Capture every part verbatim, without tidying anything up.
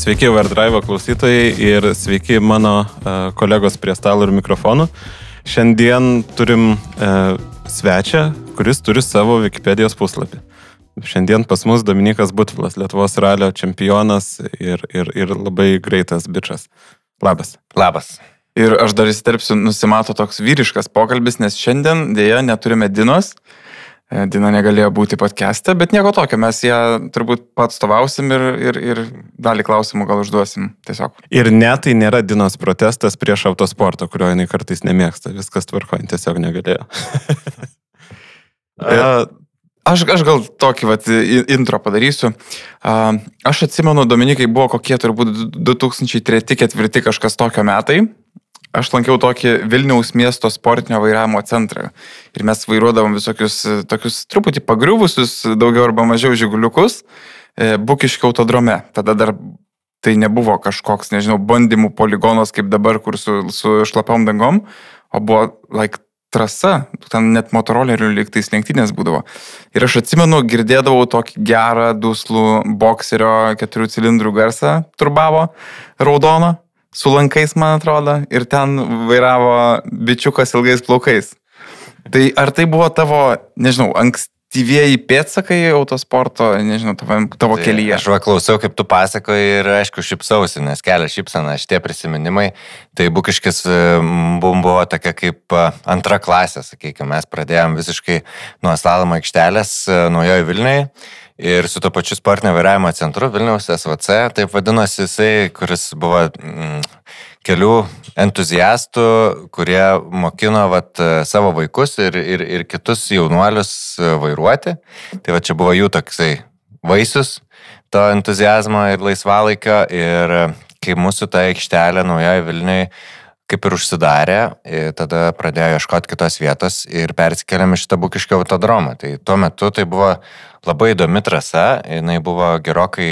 Sveiki Overdrive klausytojai ir sveiki mano uh, kolegos prie stalo ir mikrofonų. Šiandien turim uh, svečią, kuris turi savo Wikipedijos puslapį. Šiandien pas mus Dominikas Butvilas, Lietuvos ralio čempionas ir, ir, ir labai greitas bičas. Labas. Labas. Ir aš dar įsiterpsiu, nusimato toks vyriškas pokalbis, nes šiandien dėja neturime Dinos. Dina negalėjo būti podcast'e, bet nieko tokio, mes ją turbūt patstovausim ir, ir, ir dalį klausimų gal užduosim tiesiog. Ir ne, tai nėra Dinos protestas prieš autosportą, kurio jinai kartais nemėgsta, viskas tvarko, jin tiesiog negalėjo. aš, aš gal tokį vat, intro padarysiu. Aš atsimenu, Dominikai, buvo kokie turbūt du tūkstančiai treti ketvirti kažkas tokio metai. Aš lankiau tokį Vilniaus miesto sportinio vairavimo centrą ir mes vairuodavom visokius tokius truputį pagriuvusius, daugiau arba mažiau žiguliukus, Bukiškio autodrome. Tada dar tai nebuvo kažkoks, nežinau, bandymų poligonas kaip dabar, kur su, su šlapiom dangom, o buvo like, trasa, ten net motorolerių lygtais lenktynės būdavo. Ir aš atsimenu, girdėdavau tokį gerą, duslų bokserio keturių cilindrų garsą, turbavo raudoną. Su lankais, man atrodo, ir ten vairavo bičiukas ilgais plaukais. Tai ar tai buvo tavo, nežinau, ankstyvieji pėdsakai autosporto, nežinau, tavo, tavo tai kelyje? Aš va klausiau, kaip tu pasakoji ir aišku šipsausi, nes kelia šipsana šitie prisiminimai. Tai Bukiškis buvo tokia kaip antra klasė, sakykime, mes pradėjom visiškai nuo slalomo aikštelės Naujoje Vilniuje. Ir su to pačiu sportinio vairavimo centru Vilniaus S V C, taip vadinosi jisai, kuris buvo mm, kelių entuziastų, kurie mokino vat, savo vaikus ir, ir, ir kitus jaunuolius vairuoti. Tai va čia buvo jų toksai vaisius, to entuziazmo ir laisvalaikio. Ir kai mūsų ta aikštelė Naujoje Vilniuje kaip ir užsidarė, tada pradėjo ieškoti kitos vietos ir persikėlėm iš šitą Bukiškio autodromą. Tai tuo metu tai buvo labai įdomi trasa, jinai buvo gerokai,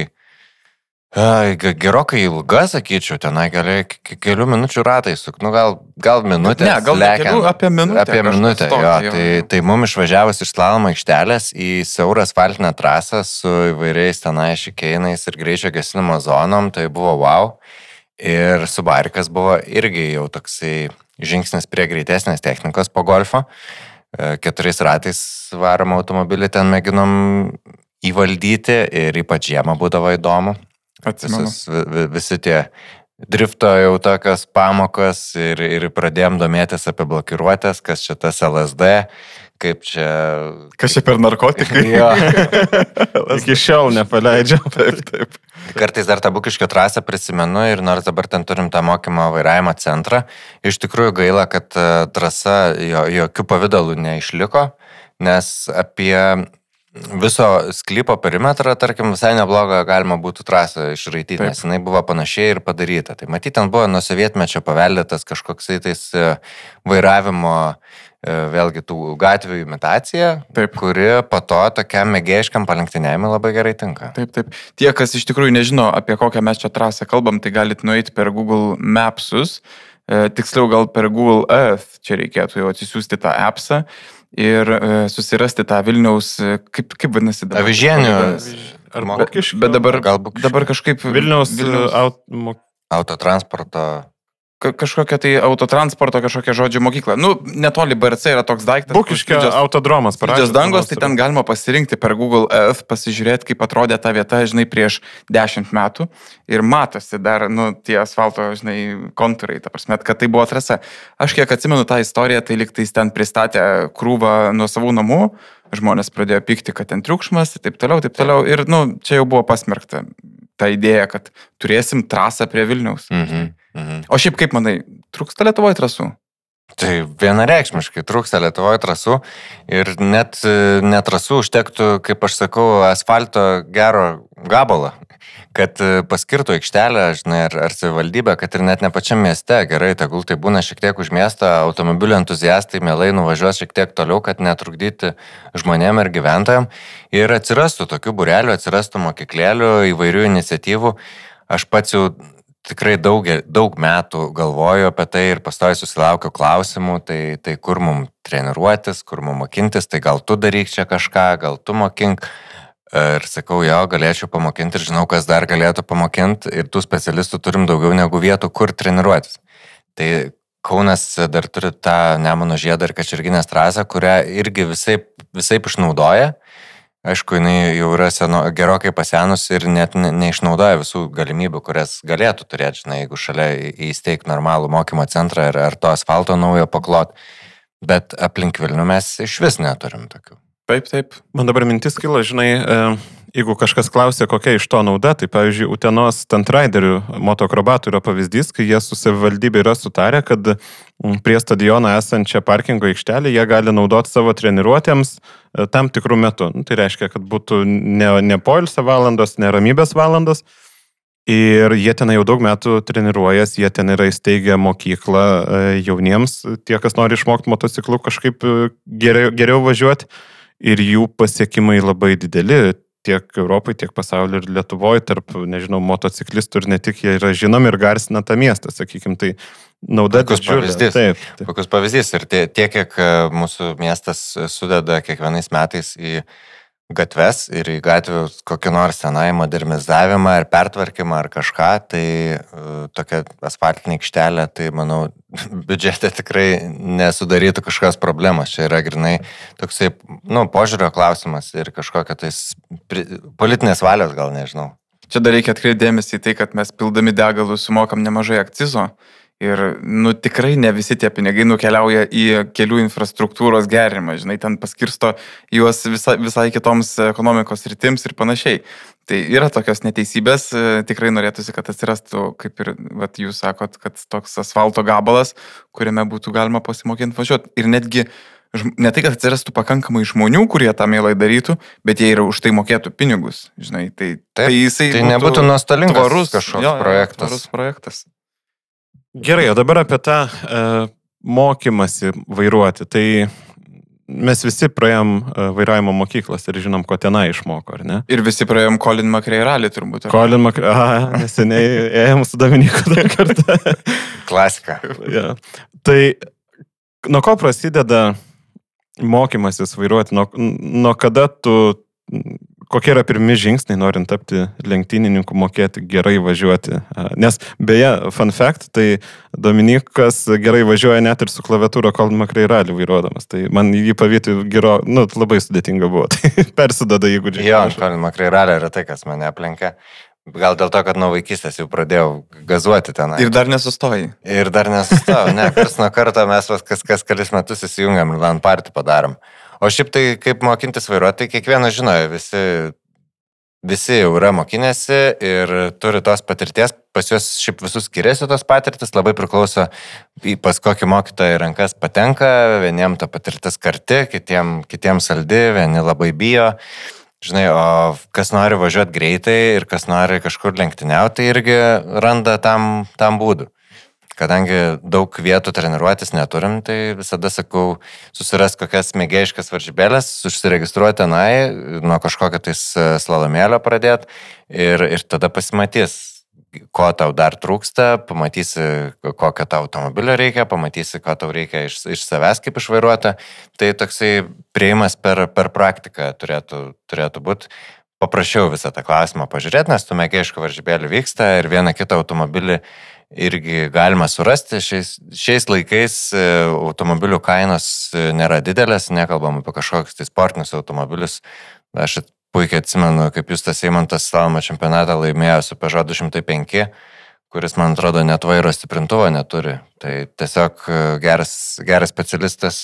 gerokai ilga, sakyčiau, tenai gali kelių minučių ratai suk, nu gal, gal minutės. Ne, gal kelių, apie minutę. Apie minutę, jo. jo. Tai, tai mums išvažiavus iš slalomo aikštelės į siaurą asfaltinę trasą su įvairiais tenai šikeinais ir greičio gesinimo zonom, tai buvo wow. Ir Subarikas buvo irgi jau toksai žingsnis prie greitesnės technikos po golfo. Keturiais ratais varom automobilį ten mėginom įvaldyti ir ypač žiemą būdavo įdomu. Visus, visi tie drifto jau tokios pamokos ir, ir pradėjom domėtis apie blokiruotės, kas čia tas L S D, kaip čia... Kas čia per narkotikai? Jo. Iki šiol nepaleidžiam. Taip, taip. Kartais dar tą Bukiškio trasą prisimenu ir nors dabar ten turim tą mokymo vairavimo centrą, iš tikrųjų gaila, kad trasa jo, jokių pavydalų neišliko, nes apie viso sklypo perimetrą, tarkim, visai neblogą galima būtų trasą išraityti, nes jinai buvo panašiai ir padaryta. Tai matyt, ten buvo nuo sovietmečio paveldėtas kažkoksai tais vairavimo vėlgi tų gatvių imitacija, taip, kuri po to tokiam mėgėjiškam palenktyniavimui labai gerai tinka. Taip, taip. Tie, kas iš tikrųjų nežino, apie kokią mes čia trasą kalbam, tai galit nueiti per Google Mapsus, e, tiksliau gal per Google Earth, čia reikėtų jau atsisiųsti tą appsą ir e, susirasti tą Vilniaus, kaip, kaip vadinasi dabar? Avižienių. Ar Bukiškio? Bet dabar, gal dabar kažkaip... Vilniaus, Vilniaus... Aut, autotransporto... kažkokia tai autotransporto, kažkokia žodžių mokykla. Nu, netoli B R C yra toks daiktas. Bukiškio autodromas. Slidžios dangos, tai ten galima pasirinkti per Google Earth, pasižiūrėti, kaip atrodė ta vieta, žinai, prieš dešimt metų. Ir matosi dar, nu, tie asfalto, žinai, kontūrai, ta prasme, kad tai buvo trasa. Aš kiek atsimenu tą istoriją, tai liktais ten pristatė krūvą nuo savų namų, žmonės pradėjo pykti, kad ten triukšmas, taip toliau, taip toliau. Ir, nu, čia jau buvo pasmerkta ta idėja, kad turėsim trasą prie Vilniaus. Mhm. Mhm. O šiaip kaip manai, trūksta Lietuvoje trasų? Tai vienareikšmiškai trūksta Lietuvoje trasų ir net netrasų užtektų, kaip aš sakau, asfalto gero gabalą, kad paskirtų aikštelę, žinai, ar, ar savivaldybę, kad ir net ne pačiam mieste, gerai, tegul tai būna šiek tiek už miestą, automobilių entuziastai mielai nuvažiuos šiek tiek toliau, kad netrukdyti žmonėm ir gyventojam ir atsirastų tokių būrelių, atsirastų mokyklėlių, įvairių iniciatyvų. Aš pats jau tikrai daug, daug metų galvoju apie tai ir pastoviai susilaukiu klausimų, tai, tai kur mum treniruotis, kur mum mokintis, tai gal tu daryk čia kažką, gal tu mokink. Ir sakau, jo, galėčiau pamokinti ir žinau, kas dar galėtų pamokinti ir tų specialistų turim daugiau negu vietų, kur treniruotis. Tai Kaunas dar turi tą Nemuno žiedą ir Kačerginės trasą, kurią irgi visaip, visaip išnaudoja. Aišku, jinai jau yra seno, gerokai pasenus ir net ne, neišnaudoja visų galimybių, kurias galėtų turėti, žinai, jeigu šalia įsteigti normalų mokymo centrą ar, ar to asfalto naujo paklot. Bet aplink Vilnių mes iš vis neturim tokių. Taip, taip. Man dabar mintis kilo, žinai, jeigu kažkas klausia, kokia iš to nauda, tai pavyzdžiui, Utenos stuntriderių motokrobatų yra pavyzdys, kai jie su savivaldybė yra sutarę, kad prie stadiono esančią parkingo aikštelę jie gali naudoti savo treniruotėms tam tikrų metų. Tai reiškia, kad būtų ne, ne poilsio valandos, ne ramybės valandos. Ir jie ten jau daug metų treniruojas, jie ten yra įsteigę mokyklą jauniems, tie, kas nori išmokti motociklų kažkaip geriau, geriau važiuoti. Ir jų pasiekimai labai dideli tiek Europai, tiek pasaulyje ir Lietuvoje, tarp, nežinau, motociklistų ir ne tik jie yra žinomi ir garsina tą miestą, sakykime, tai nauda didžiulė. Taip, taip. Kokius pavyzdys ir tiek, kiek mūsų miestas sudeda kiekvienais metais į gatves ir į gatvių kokį nors tenai modernizavimą ar pertvarkymą ar kažką, tai uh, tokia asfaltinė aikštelė, tai manau, biudžete tikrai nesudarytų kažkokios problemos. Čia yra grinai toksai, nu, požiūrio klausimas ir kažkokia tais pri, politinės valios gal, nežinau. Čia dar reikia atkreipti dėmesį į tai, kad mes pildami degalus sumokam nemažai akcizo. Ir, nu, tikrai ne visi tie pinigai nukeliauja į kelių infrastruktūros gerinimą, žinai, ten paskirsto juos visa, visai kitoms ekonomikos rytims ir panašiai. Tai yra tokios neteisybės, tikrai norėtųsi, kad atsirastų, kaip ir vat, jūs sakot, kad toks asfalto gabalas, kuriame būtų galima pasimokinti važiuoti. Ir netgi ne tai, kad atsirastų pakankamai žmonių, kurie tą mielai darytų, bet jie ir už tai mokėtų pinigus, žinai. Tai, Taip, tai jisai tai nebūtų nuostolingas tvarus kažkoks jo, projektas. Tvarus projektas. Gerai, o dabar apie tą e, mokymasi vairuoti. Tai mes visi praėjom e, vairavimo mokyklas ir žinom, ko tenai išmoko, ar ne? Ir visi praėjom Colin McRae rally turbūt. Ar? Colin McRae, aha, neseniai ėjom su Dominiku dar kartą. Klasika. Ja. Tai nuo ko prasideda mokymasis vairuoti? Nuo, nuo kada tu... Kokie yra pirmi žingsniai, norint tapti lenktynininku, mokėti gerai važiuoti? Nes beje, fun fact, tai Dominikas gerai važiuoja net ir su klaviatūra Colin McRae rally vairuodamas. Tai man jį pavyti gero, nu, labai sudėtinga buvo. Tai persidada įgūdžiai. Jo, Colin McRae rally yra tai, kas mane aplenkia. Gal dėl to, kad nuo vaikystės jau pradėjau gazuoti ten. Ir dar nesustojai. Ir dar nesustojau. Ne, kars nuo karto mes kas, kas kelis metus įsijungiam ir LAN party padarom. O šiaip tai, kaip mokintis vairuoti, tai kiekvienas žinojo, visi, visi jau yra mokinėsi ir turi tos patirties, pas juos šiaip visus skiriasi tos patirtis, labai priklauso, pas kokį mokytoją į rankas patenka, vieniem ta patirtis karti, kitiem, kitiem saldi, vieni labai bijo. Žinai, o kas nori važiuoti greitai ir kas nori kažkur lenktyniauti, tai irgi randa tam, tam būdų. Kadangi daug vietų treniruotis neturim, tai visada sakau, susiras kokias mėgėjiškas varžybėlės, užsiregistruoti tenai, nuo kažkokio tais slalomėlio pradėti ir, ir tada pasimatys, ko tau dar trūksta, pamatysi, kokio tau automobilio reikia, pamatysi, ko tau reikia iš, iš savęs kaip išvairuoti. Tai toksai prieimas per, per praktiką turėtų, turėtų būti. Paprašiau visą tą klausimą pažiūrėti, nes tų mėgėjiškų varžybėlių vyksta ir vieną kitą automobilį irgi galima surasti. Šiais, šiais laikais automobilių kainos nėra didelės, nekalbam apie kažkokius tai sportinius automobilius. Aš puikiai atsimenu, kaip Justas Eimantas slalomo čempionatą laimėjo su Peugeot du šimtai penki, kuris, man atrodo, net vairo stiprintuvo neturi. Tai tiesiog geras, geras specialistas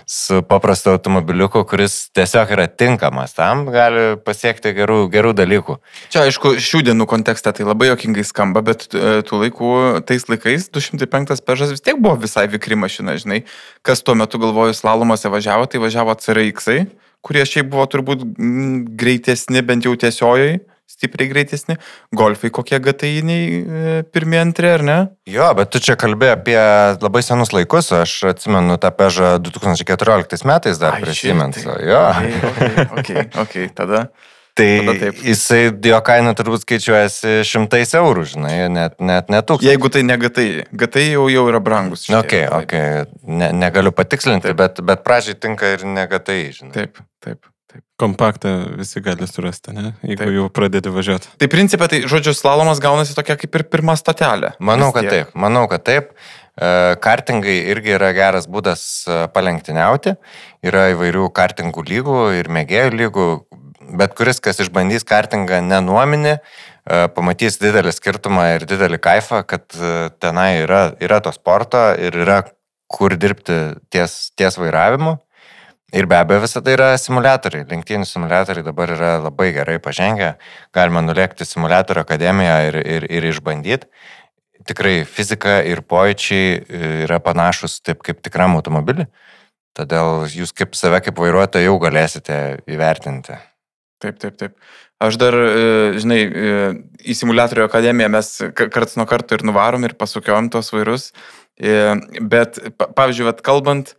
su paprastu automobiliuku, kuris tiesiog yra tinkamas tam, gali pasiekti gerų, gerų dalykų. Čia, aišku, šių dienų kontekste tai labai jokingai skamba, bet tų laikų, tais laikais du šimtai penktas Peugeot vis tiek buvo visai vikri mašina, žinai. Kas tuo metu galvoju slalomose važiavo, tai važiavo C R X-ai, kurie šiaip buvo turbūt greitesni, bent jau tiesiojai. Stipriai greitesni. Golfai kokie G T I-niai pirmie antri, ar ne? Jo, bet tu čia kalbėjai apie labai senus laikus. Aš atsimenu tą Peugeot du tūkstančiai keturioliktais metais dar prisimint. Jo. Okay, okay, okay, tada. Tai tada jisai, jo kaina turbūt skaičiuojasi šimtais eurų, žinai, net, net netūkstančiai. Jeigu tai ne G T I. G T I jau, jau yra brangus. Šitie, okay, okay. Ne, negaliu patikslinti, bet, bet pradžiai tinka ir ne G T I, žinai. Taip, taip. Taip. Kompaktą visi gali surasti, ne? Jeigu taip. Jau pradėti važiuoti. Tai principė, tai žodžiu, slalomas gaunasi tokia kaip ir pirma stotelė. Manau, kad taip. Manau, kad taip. Kartingai irgi yra geras būdas palenktyniauti. Yra įvairių kartingų lygų ir mėgėjų lygų. Bet kuris, kas išbandys kartingą nenuominį, pamatys didelį skirtumą ir didelį kaifą, kad tenai yra, yra to sporto ir yra kur dirbti ties, ties vairavimu. Ir be abejo visada yra simuliatoriai. Lenktynių simuliatoriai dabar yra labai gerai pažengę. Galima nulėkti simuliatorių akademiją ir, ir, ir išbandyti. Tikrai fizika ir pojūčiai yra panašus taip kaip tikram automobilį. Todėl jūs kaip save kaip vairuotoją jau galėsite įvertinti. Taip, taip, taip. Aš dar, žinai, į simuliatorių akademiją mes karts nuo karto ir nuvarom ir pasukiojom tos vairus. Bet, pavyzdžiui, vat, kalbant,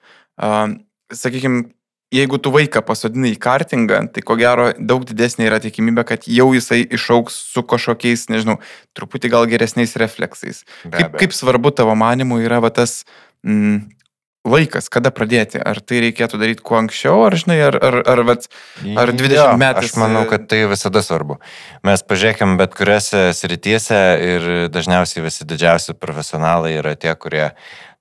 sakykime, jeigu tu vaiką pasodinai į kartingą, tai ko gero daug didesnė yra tikimybė, kad jau jisai išaugs su kažkokiais, nežinau, truputį gal geresniais refleksais. Kaip, kaip svarbu tavo manimu yra va, tas mm, laikas, kada pradėti? Ar tai reikėtų daryti kuo anksčiau, ar, žinai, ar, ar, ar, vat, ar dvidešimt metų? Aš manau, kad tai visada svarbu. Mes pažiūrėkime bet kuriuose srityse ir dažniausiai visi didžiausi profesionalai yra tie, kurie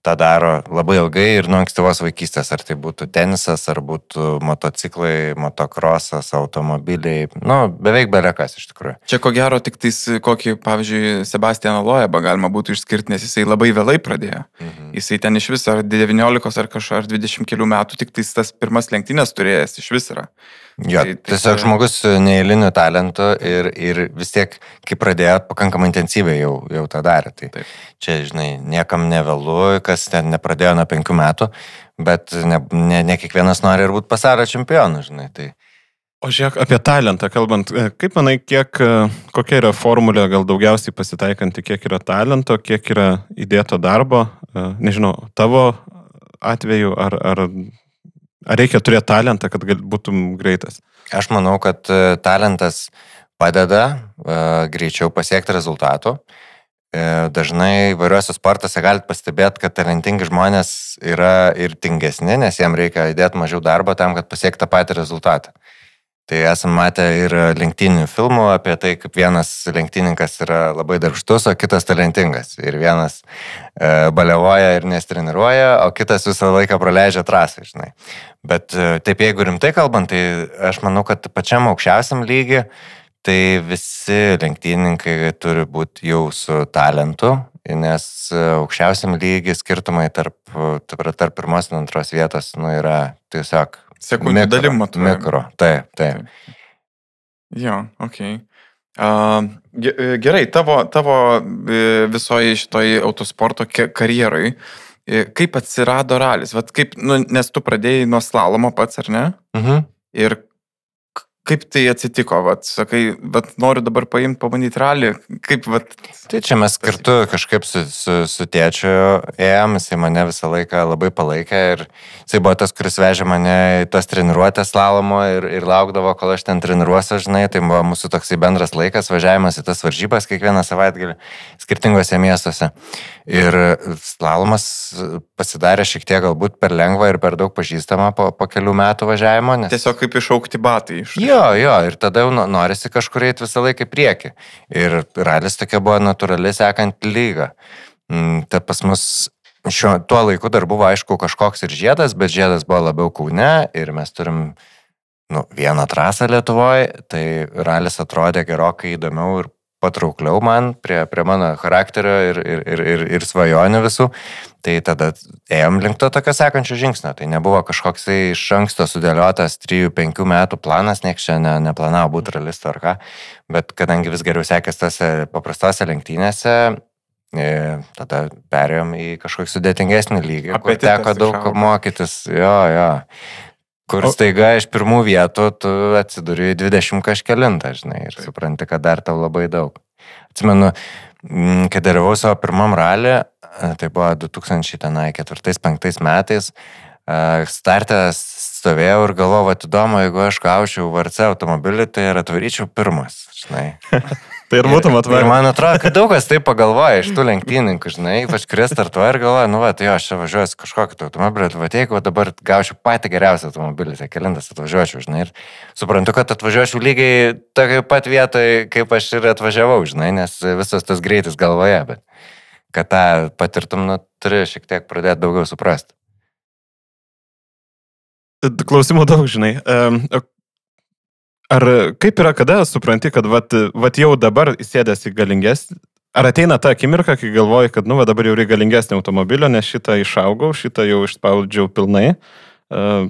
tą daro labai ilgai ir nuo ankstyvos vaikystės, ar tai būtų tenisas, ar būtų motociklai, motokrosas, automobiliai, nu, beveik belekas iš tikrųjų. Čia ko gero tik tais kokį, pavyzdžiui, Sebastianą Loebą galima būtų išskirti, nes jisai labai vėlai pradėjo. Mhm. Jisai ten iš viso ar devyniolikos ar kažkur ar dvidešimt kelių metų tik tais tas pirmas lenktynės turėjęs iš vis yra. Jo, tai, tai tiesiog tai... žmogus su neįliniu talentu ir, ir vis tiek, kai pradėjo, pakankamai intensyviai jau, jau tą darė. Tai taip. Čia, žinai, niekam nevėlu, kas ten nepradėjo nuo penkių metų, bet ne, ne, ne kiekvienas nori ir būti pasaulio čempionu, žinai. Tai... O žiūrėk, apie talentą kalbant, kaip manai, kiek, kokia yra formulė gal daugiausiai pasitaikanti, kiek yra talento, kiek yra įdėto darbo, nežinau, tavo atveju, ar... ar... Ar reikia turėti talentą, kad būtum greitas? Aš manau, kad talentas padeda uh, greičiau pasiekti rezultatų. Uh, dažnai įvairiuose sportuose galite pastebėti, kad talentingi žmonės yra ir tingesni, nes jiems reikia įdėti mažiau darbo tam, kad pasiekti tą patį rezultatą. Tai esame matę ir lenktynių filmų apie tai, kaip vienas lenktynininkas yra labai darbštus, o kitas talentingas. Ir vienas e, balevoja ir nestreniruoja, o kitas visą laiką praleidžia trasą, žinai. Bet e, taip, jeigu rimtai kalbant, tai aš manau, kad pačiam aukščiausiam lygiui, tai visi lenktynininkai turi būti jau su talentu, nes aukščiausiam lygiui skirtumai tarp, tarp pirmos ir antros vietos nu, yra tiesiog sekundžių dalim matuojame. Mikro, taip, taip. taip. Jo, okei. Okay. Uh, gerai, tavo, tavo visoje šitoje autosporto karjerai, kaip atsirado ralis? Vat kaip, nu, nes tu pradėjai nuo slalomo pats, ar ne? Mhm. Ir kaip tai atsitiko? Vat, sakai, vat, noriu dabar paimti, pabandyti ralį. Kaip, vat... Tai čia mes kartu kažkaip su, su, su tėčiu ėjom, jisai mane visą laiką labai palaikė ir jisai buvo tas, kuris vežė mane į tas treniruotės slalomo ir, ir laukdavo, kol aš ten treniruosiu, žinai, tai buvo mūsų toksai bendras laikas, važiavimas į tas varžybas kiekvieną savaitgalį skirtingose miestuose. Ir slalomas pasidarė šiek tiek galbūt per lengva ir per daug pažįstama po, po kelių metų važiavimo. Nes... Tiesiog kaip išaukti batai. Iš... Jo, jo, ir tada jau norisi kažkur eiti visą laiką į priekį. Ir ralis tokia buvo natūraliai sekant lygą. Tai pas mus šiuo, tuo laiku dar buvo aišku kažkoks ir žiedas, bet žiedas buvo labiau Kaune ir mes turim nu, vieną trasą Lietuvoje, tai ralis atrodė gerokai įdomiau ir patraukliau man prie, prie mano charakterio ir, ir, ir, ir, ir svajonių visų. Tai tada ėjom link to tokio sekančio žingsnio. Tai nebuvo kažkoks iš anksto sudėliotas trijų penkių metų planas, nieks čia ne, neplanavo būti realistu ar ką. Bet kadangi vis geriau sekės tose paprastose lenktynėse, e, tada perėjom į kažkokį sudėtingesnį lygį, kur teko daug išauga. Mokytis. Jo, jo. Kur staiga iš pirmų vietų tu atsiduri dvidešimt kažkelintą, žinai, ir supranti, kad dar tau labai daug. Atsimenu, kai dalyvau savo pirmam ralį, tai buvo du tūkstančiai ketvirtais penktais metais, starte stovėjau ir galvojau, vat įdomu, jeigu aš gaučiau V R C automobilį, tai ir atvaryčiau pirmas, žinai. Tai ir būtum atvarę. Ir man atrodo, kad daug kas taip pagalvoja iš tų lenktynininkų, žinai, ypač kurie startuoja ir galvoja, nu va, tai jo, aš čia važiuosiu kažkokį automobilį, tai va, jeigu dabar gaučiau patį geriausią automobilį, tai kelintas atvažiuočiau, žinai, ir suprantu, kad atvažiuočiau lygiai tokiai pat vietoje, kaip aš ir atvažiavau, žinai, nes visas tas greitis galvoje, bet kad tą patirtum, nu, turi šiek tiek pradėti daugiau suprasti. Klausimų daug, žinai. Ar kaip yra, kada supranti, kad vat, vat jau dabar įsėdęs į galingesnį, ar ateina ta akimirka, kai galvoji, kad nu, va, dabar jau reikia galingesnį automobilio, nes šitą išaugau, šitą jau išspaudžiau pilnai? Uh,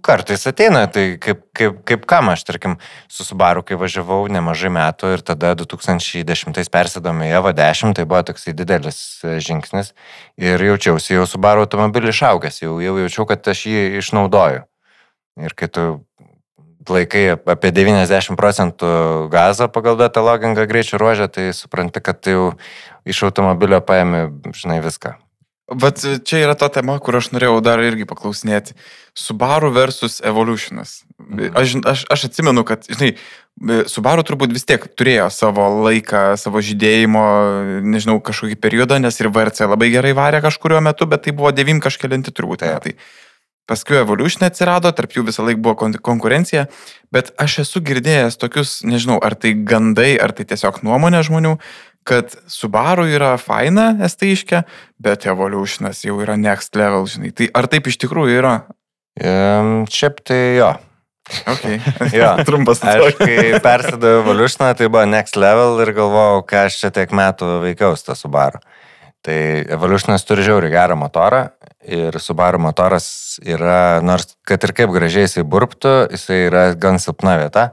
Kartais ateina, tai kaip, kaip, kaip kam aš, tarkim, su Subaru, kai važiavau nemažai metų ir tada du tūkstančiai dešimtais persėdome į Evo dešimt, tai buvo toksai didelis žingsnis ir jaučiausi jau Subaru automobilį išaugęs, jau, jau jaučiau, kad aš jį išnaudoju. Ir kai tu laikai apie devyniasdešimt procentų gazo pagal datą logingą greičio ruožę, tai supranti, kad tai jau iš automobilio paėmė, žinai, viską. Vat čia yra ta tema, kur aš norėjau dar irgi paklausinėti. Subaru versus Evolutionas. Aš, aš, aš atsimenu, kad, žinai, Subaru turbūt vis tiek turėjo savo laiką, savo žydėjimo, nežinau, kažkokį periodą, nes ir V R C labai gerai varė kažkurio metu, bet tai buvo devym kažkelinti turbūt. Ja. Tai paskui Evolution atsirado, tarp jų visą laiką buvo konkurencija, bet aš esu girdėjęs tokius, nežinau, ar tai gandai, ar tai tiesiog nuomonė žmonių, kad Subaru yra faina, estaiškia, bet Evolutionas jau yra next level, žinai. Tai ar taip iš tikrųjų yra? Um, šiaip tai jo. Okay. Jo, trumpas aš kai persidavau Evolutioną, tai buvo next level ir galvojau, ką aš čia tiek metų veikiau su tą Subaru. Tai Evolutionas turi žiauriai gerą motorą ir Subaru motoras yra, nors kad ir kaip gražiai jisai burptų, jisai yra gan silpna vieta.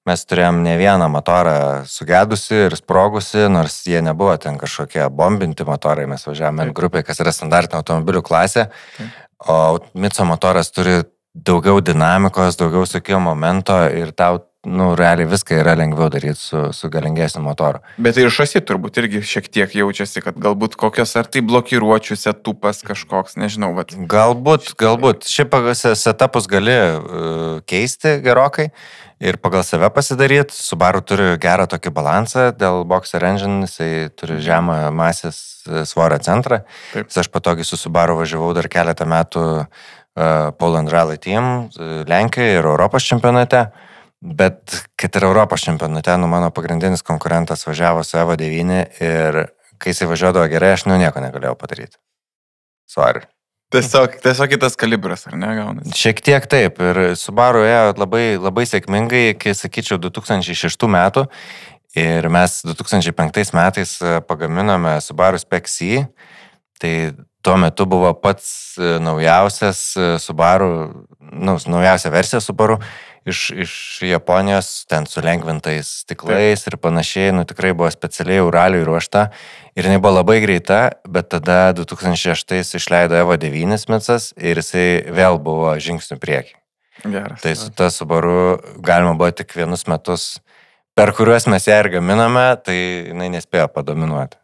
Mes turėjom ne vieną motorą sugedusi ir sprogusi, nors jie nebuvo ten kažkokie bombinti motorai, mes važiavome N grupiai, kas yra standartinė automobilių klasė, o Mitso motoras turi daugiau dinamikos, daugiau sukimo momento ir tau, nu, realiai viską yra lengviau daryti su, su galingesniu motoru. Bet ir šasi turbūt irgi šiek tiek jaučiasi, kad galbūt kokios ar tai blokiruočių setupas kažkoks, nežinau. Bet... Galbūt, galbūt. Šiaip setupus gali uh, keisti gerokai ir pagal save pasidaryti. Subaru turi gerą tokį balansą dėl Boxer Engine, jisai turi žemą masės svorio centrą. Taip. Aš patogiai su Subaru važiavau dar keletą metų uh, Poland Rally Team, Lenkijoje ir Europos čempionate. Bet kad ir Europos čempionate, nu, mano pagrindinis konkurentas važiavo su Evo devyni ir kai jisai važiuodavo gerai, aš nu nieko negalėjau padaryti. Sorry. Tiesiog, tiesiog kitas kalibras, ar ne, gaunasi? Šiek tiek taip. Ir Subaru ėjo labai, labai sėkmingai iki, sakyčiau, du tūkstančiai šeštų metų. Ir mes du tūkstančiai penktais metais pagaminome Subaru Spec C. Tai tuo metu buvo pats naujausias Subaru, nu, naujausia versija Subaru iš, iš Japonijos, ten su lengvintais stiklais ir panašiai, nu tikrai buvo specialiai Uraliui ruošta ir jinai buvo labai greita, bet tada du tūkstančiai šeštais išleido Evo devyni Mitsas ir jisai vėl buvo žingsnių priekį. Geras. Tai su ta Subaru galima buvo tik vienus metus, per kuriuos mes ją ir gaminame, tai jinai nespėjo padominuoti.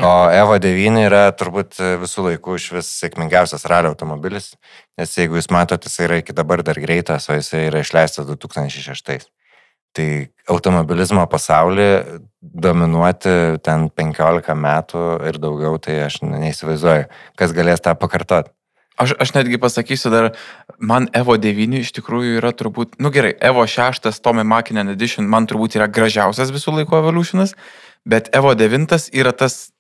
O Evo devyni yra turbūt visų laikų iš vis sėkmingiausias ralio automobilis, nes jeigu jūs matote, jis yra iki dabar dar greitas, o jis yra išleistas du tūkstančiai šeštais. Tai automobilizmo pasaulyje dominuoti ten penkiolika metų ir daugiau, tai aš neįsivaizduoju, kas galės tą pakartoti. Aš, aš netgi pasakysiu dar, man Evo devyni iš tikrųjų yra turbūt, nu gerai, Evo šeštas Tommy Makinen Edition man turbūt yra gražiausias visų laikų Evolutionas, bet Evo devyni yra tas,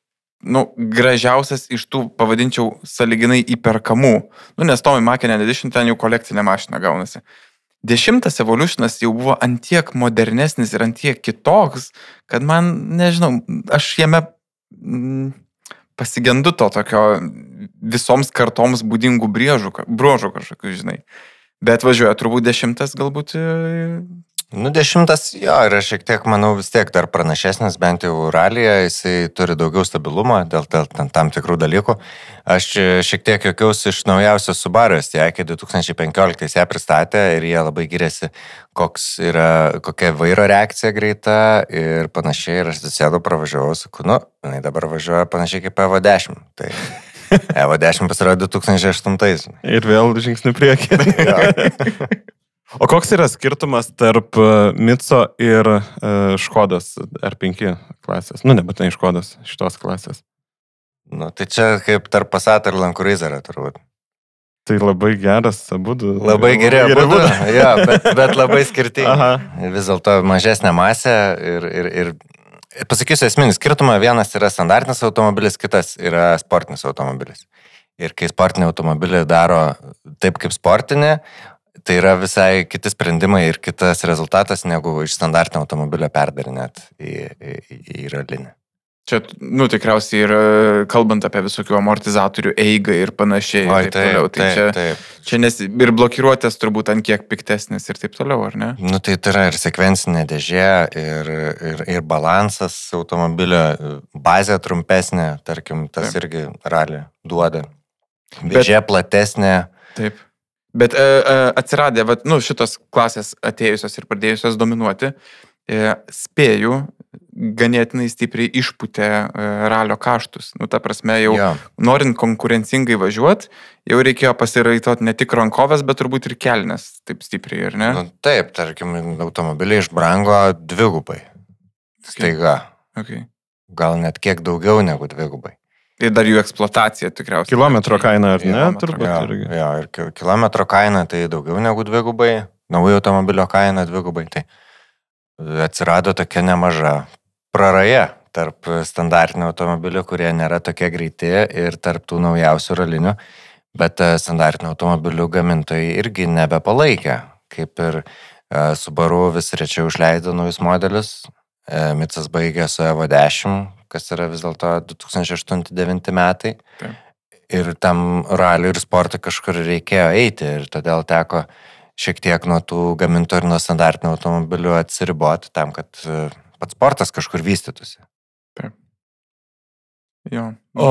nu, gražiausias iš tų, pavadinčiau, saliginai įperkamų. Nu, nes Tommy Makinen Edition ten jau kolekcinė mašina gaunasi. Dešimtas Evolutionas jau buvo antiek modernesnis ir antiek kitoks, kad man, nežinau, aš jame mm, pasigendu to tokio visoms kartoms būdingų brėžų, bruožų kažkokių, žinai. Bet važiuoja turbūt dešimtas galbūt... Nu, dešimtas, jo, yra šiek tiek, manau, vis tiek dar pranašesnis, bent jau ralyje, jisai turi daugiau stabilumo dėl, dėl tam tikrų dalykų. Aš šiek tiek juokiausi iš naujausios Subaru, jie iki du tūkstančiai penkioliktais ją pristatė ir jie labai giriasi, koks yra, kokia vairo reakcija greita ir panašiai. Ir aš atsisėdau, pravažiavau, sakau, nu, jinai dabar važiuoja panašiai kaip Evo dešimt. Tai Evo dešimt pasirodė du tūkstančiai aštuntais. Ir vėl žingsnių priekį. O koks yra skirtumas tarp Mitso ir uh, Škodos R penki klasės? Nu, nebūtinai Škodos, šitos klasės. Nu, tai čia kaip tarp Passat ir Land Cruiserio turbūt. Tai labai geras abudu. Labai geri abudu, jo, bet, bet labai skirtingi. Vis dėlto mažesnė masė ir, ir, ir pasakysiu esminį skirtumą, vienas yra standartinis automobilis, kitas yra sportinis automobilis. Ir kai sportinį automobilį daro taip kaip sportinį, tai yra visai kiti sprendimai ir kitas rezultatas, negu iš standartinio automobilio perdarinėt į, į, į ralinį. Čia, nu, tikriausiai ir kalbant apie visokių amortizatorių eigą ir panašiai. Oi, ir taip, taip, toliau, tai taip, čia, taip. čia nes ir blokiruotės turbūt ant kiek piktesnis ir taip toliau, ar ne? Nu, tai tai yra ir sekvencinė dėžė, ir, ir, ir balansas automobilio, bazė trumpesnė, tarkim, tas taip. Irgi ralį duoda. Dėžė Bet, platesnė. Taip. Bet e, e, atsiradė, vat, nu, šitos klasės atėjusios ir pradėjusios dominuoti, e, spėjų, ganėtinai stipriai išputė e, ralio kaštus. Nu, ta prasme, jau ja. Norint konkurencingai važiuoti, jau reikėjo pasiraitot ne tik rankovės, bet turbūt ir kelnes taip stipriai, ar ne? Nu, taip, tarkim, automobiliai išbrango dvigubai. Staiga. Okay. Gal net kiek daugiau negu dvigubai. Ir dar jų eksploatacija tikriausiai. Kilometro kaina, ar ne? Turbūt jo, irgi. Jo, ir kilometro kaina tai daugiau negu dvigubai, naujo automobilio kaina dvigubai. Tai atsirado tokia nemaža praraja tarp standartinių automobilių, kurie nėra tokie greiti, ir tarp tų naujausių ralinių, bet standartinių automobilių gamintojai irgi nebepalaikė. Kaip ir Subaru vis rečiau išleido naujus modelius, Mitsas baigė su Evo dešimt, kas yra vis dėlto du tūkstančiai aštunti devinti metai. Taip. Ir tam raliui ir sportui kažkur reikėjo eiti, ir todėl teko šiek tiek nuo tų gamintojų ir nuo standartinių automobilių atsiriboti tam, kad pats sportas kažkur vystytųsi. Taip. Jo. O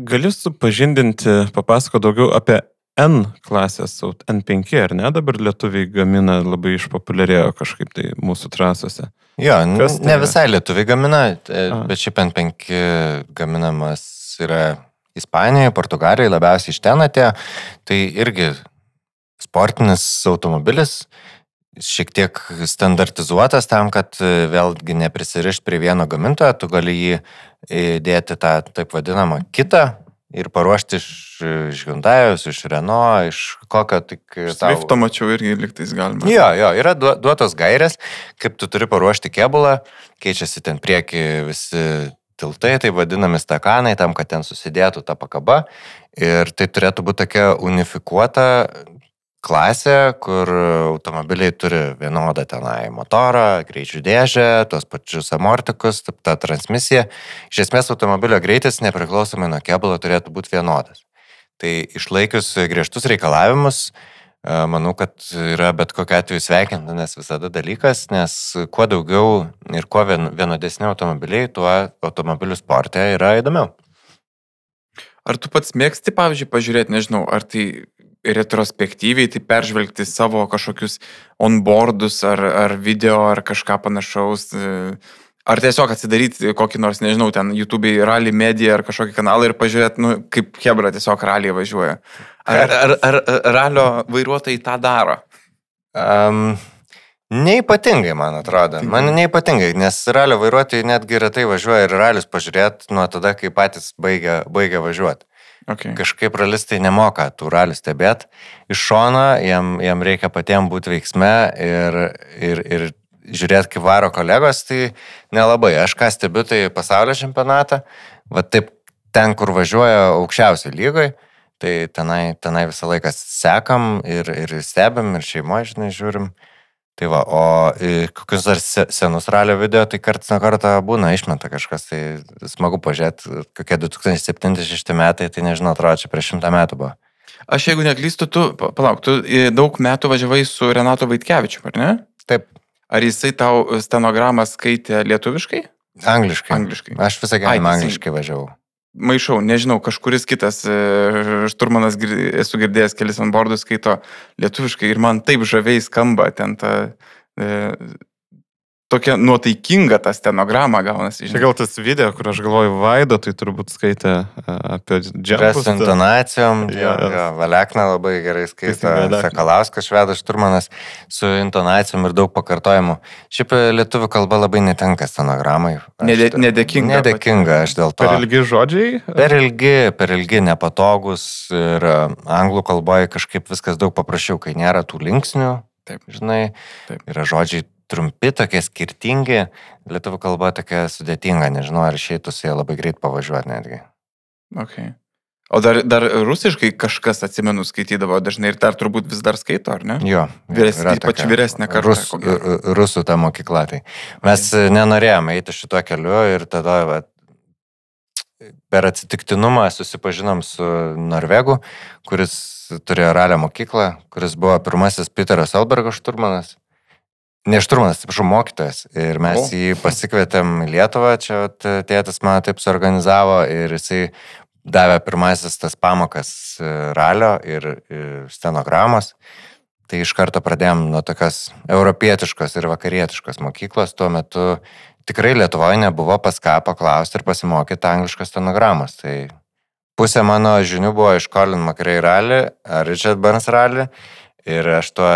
gali supažindinti, papasako daugiau apie N klasės, N penki, ar ne? Dabar lietuviai gamina, labai išpopuliarėjo kažkaip tai mūsų trasose. Jo, tai ne visai lietuviai gamina, A. bet šiaip N penki gaminamas yra Ispanijoje, Portugalijoje, labiausiai iš ten atėjo. Tai irgi sportinis automobilis, šiek tiek standartizuotas tam, kad vėlgi neprisirišt prie vieno gamintojo, tu gali jį įdėti tą taip vadinamą kitą ir paruošti iš, iš Hyundai'us, iš Renault, iš kokio tik... Swifto tau... mačiau irgi liktais galima. Jo, jo, yra duotos gairės, kaip tu turi paruošti kėbulą, keičiasi ten prieki visi tiltai, tai vadinami stakanai, tam, kad ten susidėtų ta pakaba. Ir tai turėtų būti tokia unifikuota klasė, kur automobiliai turi vienodą tenai motorą, greičių dėžę, tos pačius amortikus, ta transmisija. Iš esmės automobilio greitis nepriklausomai nuo kėbulo turėtų būti vienodas. Tai išlaikius griežtus reikalavimus, manau, kad yra bet kokiu atveju sveikintinas visada dalykas, nes kuo daugiau ir kuo vienodesni automobiliai, tuo automobilių sporte yra įdomiau. Ar tu pats mėgsti, pavyzdžiui, pažiūrėti, nežinau, ar tai retrospektyviai, tai peržvelgti savo kažkokius onboardus ar, ar video ar kažką panašaus, ar tiesiog atsidaryti kokį nors, nežinau, ten YouTube'ai rally media ar kažkokį kanalą ir pažiūrėti, nu, kaip hebra tiesiog rally važiuoja. Ar, ar, ar, ar ralio vairuotojai tą daro? Um, neipatingai, man atrodo. Man neipatingai, nes ralio vairuotojai netgi retai važiuoja ir ralius pažiūrėti nuo tada, kai patys baigia, baigia važiuoti. Okay. Kažkaip ralistai nemoka tų ralių stebėti. Iš šono jam, jam reikia patiems būti veiksme ir, ir, ir žiūrėti, kaip varo kolegos, tai nelabai. Aš ką stebiu, tai pasaulio čempionatą, va taip ten, kur važiuoja aukščiausiai lygoj, tai tenai, tenai visą laiką sekam ir, ir stebim, ir šeimoje, žinai, žiūrim. Tai va, o kokius dar senus ralio video, tai kartais nuo karto būna išmeta kažkas, tai smagu pažiūrėti, kokie du tūkstančiai septinti šešti metai, tai nežinau, atrodo, čia prieš šimtą metų buvo. Aš jeigu neklystu, tu, palauk, tu daug metų važiavai su Renato Vaitkevičiu, ar ne? Taip. Ar jisai tau stenogramą skaitė lietuviškai? Angliškai. Angliškai. Aš visą gyvenimą angliškai važiavau. Maišau, nežinau, kažkuris kitas šturmanas, esu girdėjęs kelis onboardus, skaito lietuviškai ir man taip žaviai skamba ten ta, tokia nuotaikinga ta stenograma gaunasi. Čia gal tas video, kur aš galvoju, Vaido, tai turbūt skaitė apie džempus. Su intonacijom, Jo, jo. jo, Valekna labai gerai skaito, Teisingai, Valekna. Sakalauskas, Švedas Šturmanas su intonacijom ir daug pakartojimų. Šiaip lietuvių kalba labai netenka stenogramai. Aš- Nede, nedėkinga. Nedėkinga, aš dėl to. Per ilgi žodžiai. Per ilgi, per ilgi, nepatogus ir a, anglų kalboje kažkaip viskas daug paprasčiau, kai nėra tų linksnių, Taip. žinai, Taip. yra žodžiai trumpi, tokie skirtingi, lietuvių kalba tokia sudėtinga, nežinau, ar išeitų su jie labai greit pavažiuoti netgi. Okay. O dar, dar rusiškai kažkas, atsimenu, skaitydavo dažnai ir dar turbūt vis dar skaito, ar ne? Jo, Vyres- yra ypač tokia vyresnė karta, Rus, ko gero. rusų ta mokykla. Tai. Mes okay. nenorėjome eiti šituo keliu ir tada va, per atsitiktinumą susipažinom su Norvegu, kuris turėjo ralio mokyklą, kuris buvo pirmasis Peterio Solbergo šturmanas. Ne šturmanas, atsiprašau, mokytojas. Ir mes O. jį pasikvietėm į Lietuvą, čia vat, tėtis man taip suorganizavo ir jisai davė pirmasis tas pamokas e, ralio ir, ir stenogramos. Tai iš karto pradėjom nuo tokios europietiškos ir vakarietiškos mokyklos. Tuo metu tikrai Lietuvoje nebuvo pas ką paklausti ir pasimokyti angliškos stenogramos. Tai pusė mano žinių buvo iš Colin McRae rally ar Richard Burns rally ir aš tuo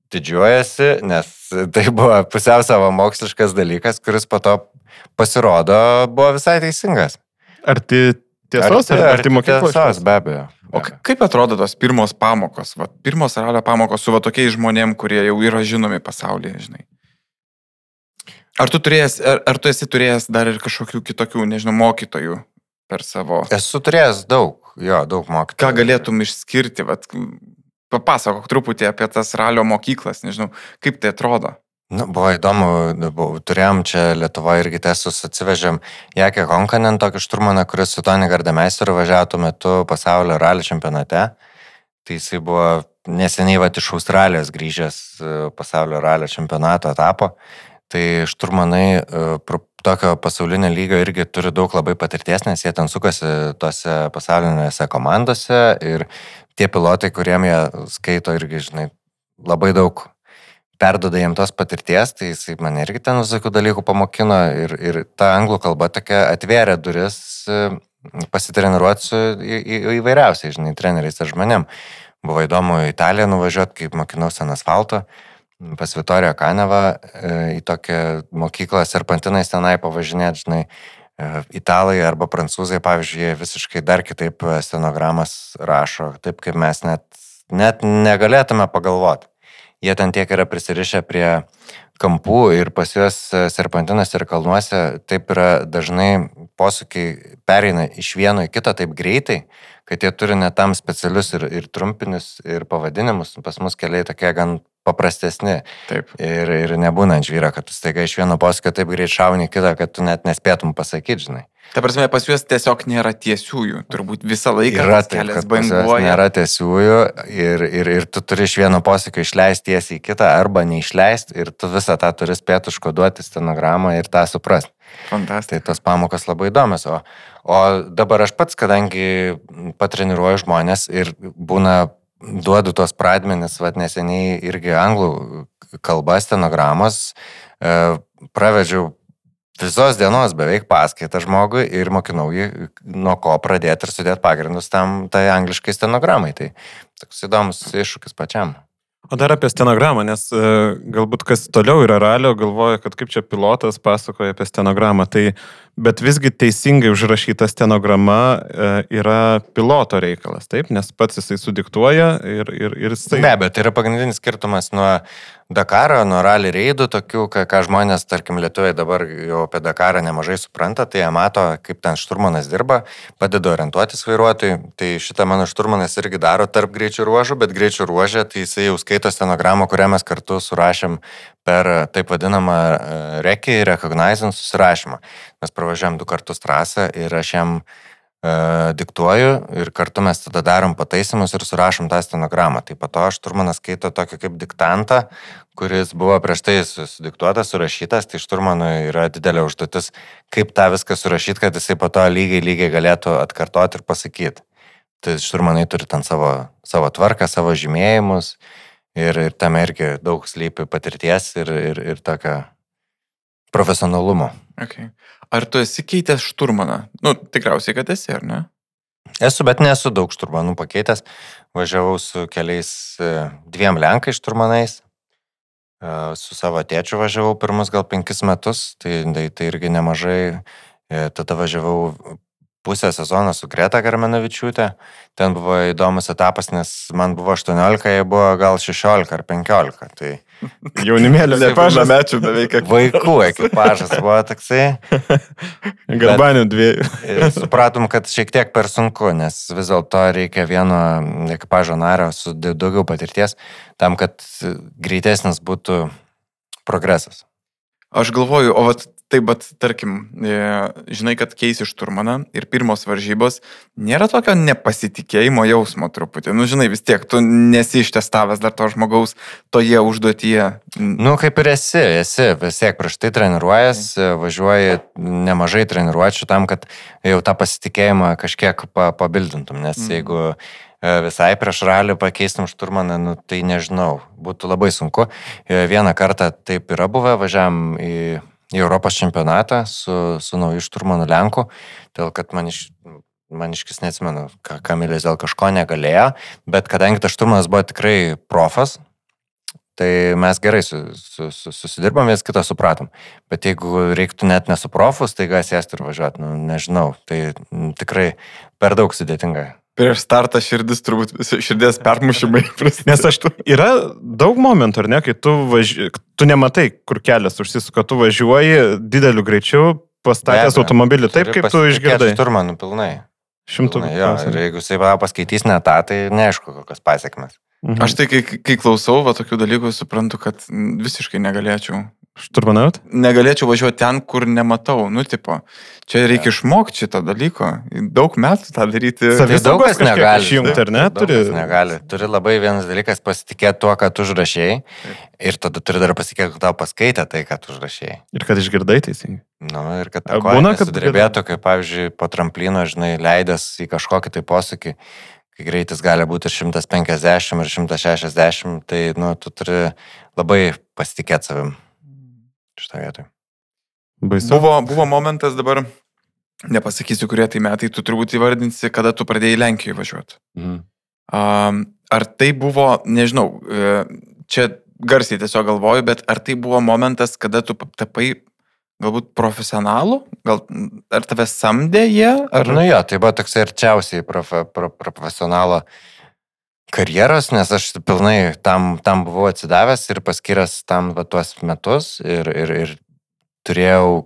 didžiuojasi, nes tai buvo pusiau savo moksliškas dalykas, kuris po to pasirodo buvo visai teisingas. Ar tai tiesos, ar, ar tai mokyklos? Tiesos, be abejo. O k- kaip atrodo tos pirmos pamokos? Va, pirmos ralio pamokos su va tokiais žmonėm, kurie jau yra žinomi pasaulyje, žinai. Ar tu, turėjęs, ar, ar tu esi turėjęs dar ir kažkokių kitokių, nežinau, mokytojų per savo... Esu turėjęs daug, jo, daug mokytojų. Ką galėtum išskirti? Vat, papasakok truputį apie tas ralio mokyklas, nežinau, kaip tai atrodo. Nu, buvo įdomu, buvo, turėjom čia Lietuvoje irgi testus, atsivežėm Jakę Honkanen, tokį šturmaną, kuris su Toni Gardameisteriu važiavo tuo metu pasaulio ralio čempionate. Tai jisai buvo neseniai vat, iš Australijos grįžęs pasaulio ralio čempionato etapo. Tai šturmanai tokio pasaulinio lygio irgi turi daug labai patirties, nes jie ten sukasi tose pasaulinėse komandose ir tie pilotai, kuriem jie skaito irgi, žinai, labai daug perduoda jiems tos patirties, tai jisai mane irgi ten visokių dalykų pamokino ir, ir ta anglų kalba tokia atvėrė duris pasitreniruoti su į, į, įvairiausiai, žinai, treneriais ar žmonėm. Buvo įdomu į Italiją nuvažiuoti, kaip mokinausi ant asfalto, pas Vitorijo Kanevą į tokią mokyklą serpantinais tenai pavažinėti, žinai, italai arba prancūzai, pavyzdžiui, jie visiškai dar kitaip stenogramas rašo, taip kaip mes net, net negalėtume pagalvoti. Jie ten tiek yra prisirišę prie kampų ir pas juos serpantinas ir kalnuose taip yra dažnai posūkiai pereina iš vieno į kitą taip greitai, kad jie turi net tam specialius ir, ir trumpinius ir pavadinimus. Pas mus keliai tokie gan paprastesni. Taip. Ir, ir nebūna ant žvyro, kad tu staiga iš vieno posūkio taip greit šauni kitą, kad tu net nespėtum pasakyti, žinai. Ta prasme, pas juos tiesiog nėra tiesiųjų. Turbūt visą laiką Yra tas taip, kelias kad pas juos banguoja. nėra tiesiųjų ir, ir, ir tu turi iš vieno posūkio išleisti tiesiai į kitą arba neišleisti ir tu visą tą turi spėti užkoduoti stenogramą ir tą suprasti. Fantastika. Tai tos pamokos labai įdomios. O, o dabar aš pats, kadangi patreniruoju žmonės ir būna duodu tos pradmenis, vat neseniai irgi anglų kalba stenogramos, e, pravedžiau visos dienos beveik paskaitą žmogui ir mokinau jį, nuo ko pradėti ir sudėti pagrindus tam tai angliškai stenogramai. Tai toks įdomus iššūkis pačiam. O dar apie stenogramą, nes e, galbūt kas toliau yra ralio, galvoja, kad kaip čia pilotas pasakoja apie stenogramą, tai bet visgi teisingai užrašyta stenograma e, yra piloto reikalas, taip, nes pats jisai sudiktuoja ir, ir, ir jisai... Be abejo, tai yra pagrindinis skirtumas nuo Dakaro, nuo rally reidų, tokių, ką, ką žmonės, tarkim, lietuviai dabar jau apie Dakarą nemažai supranta, tai jie mato, kaip ten šturmanas dirba, padeda orientuotis vairuotojui, tai šitą mano šturmanas irgi daro tarp greičių ruožų, bet greičių ruožė, tai jisai jau skaito stenogramą, kurią mes kartu surašėm per taip vadinamą rekį recognizing susirašymą. Mes pravažiavom du kartus trasą ir aš jam e, diktuoju ir kartu mes tada darom pataisimus ir surašom tą stenogramą. Tai po to šturmanas skaito tokį kaip diktantą, kuris buvo prieš tai sudiktuotas, surašytas, tai šturmanui yra didelė užduotis, kaip tą viską surašyti, kad jisai po to lygiai, lygiai galėtų atkartoti ir pasakyti. Tai šturmanai turi ten savo, savo tvarką, savo žymėjimus ir, ir tame irgi daug slypi patirties ir, ir, ir tokio profesionalumo. Okay. Ar tu esi keitęs šturmaną? Nu, tikriausiai, kad esi, ar ne? Esu, bet nesu daug šturmanų pakeitęs. Važiavau su keliais dviem lenkai šturmanais. Su savo tėčiu važiavau pirmus gal penkis metus, tai, tai, tai irgi nemažai. Tada važiavau pusę sezoną su Greta Garmenavičiūtė. Ten buvo įdomus etapas, nes man buvo aštuoniolika, jie buvo gal šešiolika ar penkiolika. Tai jaunimėlio ekipažas. Mečių beveik. Vaikų ekipažas buvo toksai. Garbanių dviejų. Supratom, kad šiek tiek per sunku, nes vis dėlto reikia vieno ekipažo nario su daugiau patirties, tam, kad greitesnis būtų progresas. Aš galvoju, o vat, taip, bet tarkim, žinai, kad keisi šturmaną ir pirmos varžybos, nėra tokio nepasitikėjimo jausmo truputį. Nu, žinai, vis tiek, tu nesi ištestavęs dar to žmogaus toje užduotyje. Nu, kaip ir esi, esi, vis tiek prieš tai treniruojas, važiuoji nemažai treniruočių tam, kad jau tą pasitikėjimą kažkiek pabildintum, nes mm. jeigu visai prieš ralį pakeistum šturmaną, nu, tai nežinau, būtų labai sunku. Vieną kartą taip yra buvę, važiavam į į Europos čempionatą su, su nauju šturmanu Lenku, dėl kad maniš, maniškis neatsimenu, Kamilis dėl kažko negalėjo, bet kadangi tas šturmanas buvo tikrai profas, tai mes gerai su, su, su, susidirbom, vis kitą supratom. Bet jeigu reiktų net nesu profus, tai gal sėsti ir važiuoti, nu, nežinau, tai tikrai per daug sudėtinga. Prieš startą širdis turbūt, širdies permušimai. Nes aš, yra daug momentų, ar ne, kai tu, važi... tu nematai, kur kelias užsisuka, tu važiuoji dideliu greičiu, pastatęs automobilį taip, kaip tu išgirdai. Šturmanų pilnai. Šimtų. Jo, ir jeigu jisai paskaitys ne tą, tai neaišku, kokios pasiekmes. Mhm. Aš tai, kai, kai klausau va, tokių dalykų, suprantu, kad visiškai negalėčiau. Šturmanaut? Negalėčiau važiuoti ten, kur nematau. Nu, tipo, čia reikia išmokti šitą dalyko. Daug metų tą daryti. Tai daug kas negali. Išjungti, ar ne? Turi... negali. Turi labai vienas dalykas pasitikėti tuo, ką tu užrašėjai. Ir tada turi dar pasitikėti, kad tau paskaitė tai, ką tu užrašėjai. Ir kad išgirdai teisingai. Nu, ir kad ta koja nesudrebėtų, kaip, pavyzdžiui, po tramplino, žinai, leidęs į kažkokį tai posūkį, kai greitis gali būti ir šimtas penkiasdešimt, ir šimtas šešiasdešimt, tai, nu, tu turi labai pasitikėti savim. Šitą vietą. Buvo, buvo momentas dabar, nepasakysiu, kurie tai metai, tu turbūt įvardinsi, kada tu pradėjai Lenkijoje važiuoti. Mhm. Um, ar tai buvo, nežinau, čia garsiai tiesiog galvoju, bet ar tai buvo momentas, kada tu tapai galbūt profesionalų? Gal, ar tave samdė jie? Ar... Nu jo, tai buvo toks arčiausiai profe, pro, profesionalo karjeros, nes aš pilnai tam, tam buvau atsidavęs ir paskyręs tam va, tuos metus ir, ir, ir turėjau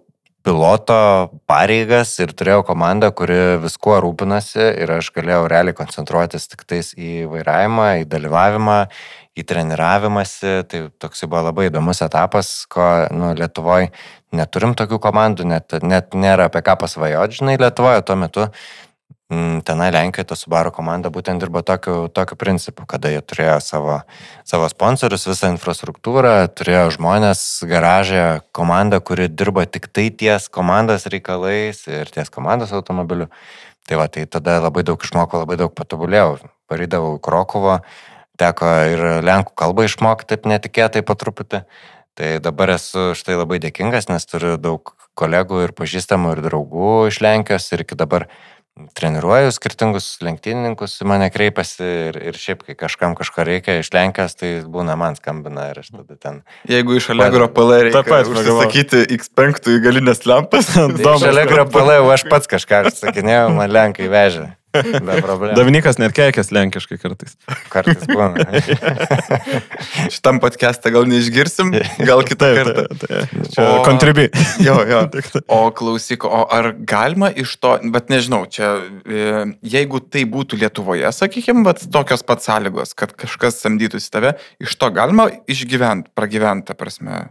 piloto pareigas ir turėjau komandą, kuri viskuo rūpinasi ir aš galėjau realiai koncentruotis tik tais į vairavimą, į dalyvavimą, į treniravimąsi. Tai toks buvo labai įdomus etapas, ko nu, Lietuvoje neturim tokių komandų, net, net nėra apie ką pasvajoti, žinai, Lietuvoje tuo metu. Tenai Lenkijoje ta Subaru komanda būtent dirbo tokiu, tokiu principu, kada jie turėjo savo, savo sponsorius, visą infrastruktūrą, turėjo žmonės, garažę, komandą, kuri dirbo tik tai ties komandos reikalais ir ties komandos automobiliu. Tai va, tai tada labai daug išmokau, labai daug patobulėjau. Parydavau į Krokuvą, teko ir lenkų kalbą išmokti taip netikėtai po truputį. Tai dabar esu štai labai dėkingas, nes turiu daug kolegų ir pažįstamų ir draugų iš Lenkijos ir iki dabar treniruoju skirtingus lenktynininkus, mane kreipiasi ir, ir šiaip, kai kažkam kažko reikia iš Lenkijos, tai būna man skambina ir aš tada ten... Jeigu iš Allegro P L reikia užsisakyti X penki galinės lempas, iš Allegro P L aš pats kažką sakinėjau, man Lenkai vežė. Be problemų. Davinikas net keikės lenkiškai kartais. Kartais būna. Šitam podcast'ą gal neišgirsim, gal kitą kartą. Čia kontribi. Jo, jo. O klausyk, o ar galima iš to, bet nežinau, čia, jeigu tai būtų Lietuvoje, sakykime, bet tokios pat sąlygos, kad kažkas samdytųsi tave, iš to galima išgyventi, pragyventi, ta prasme?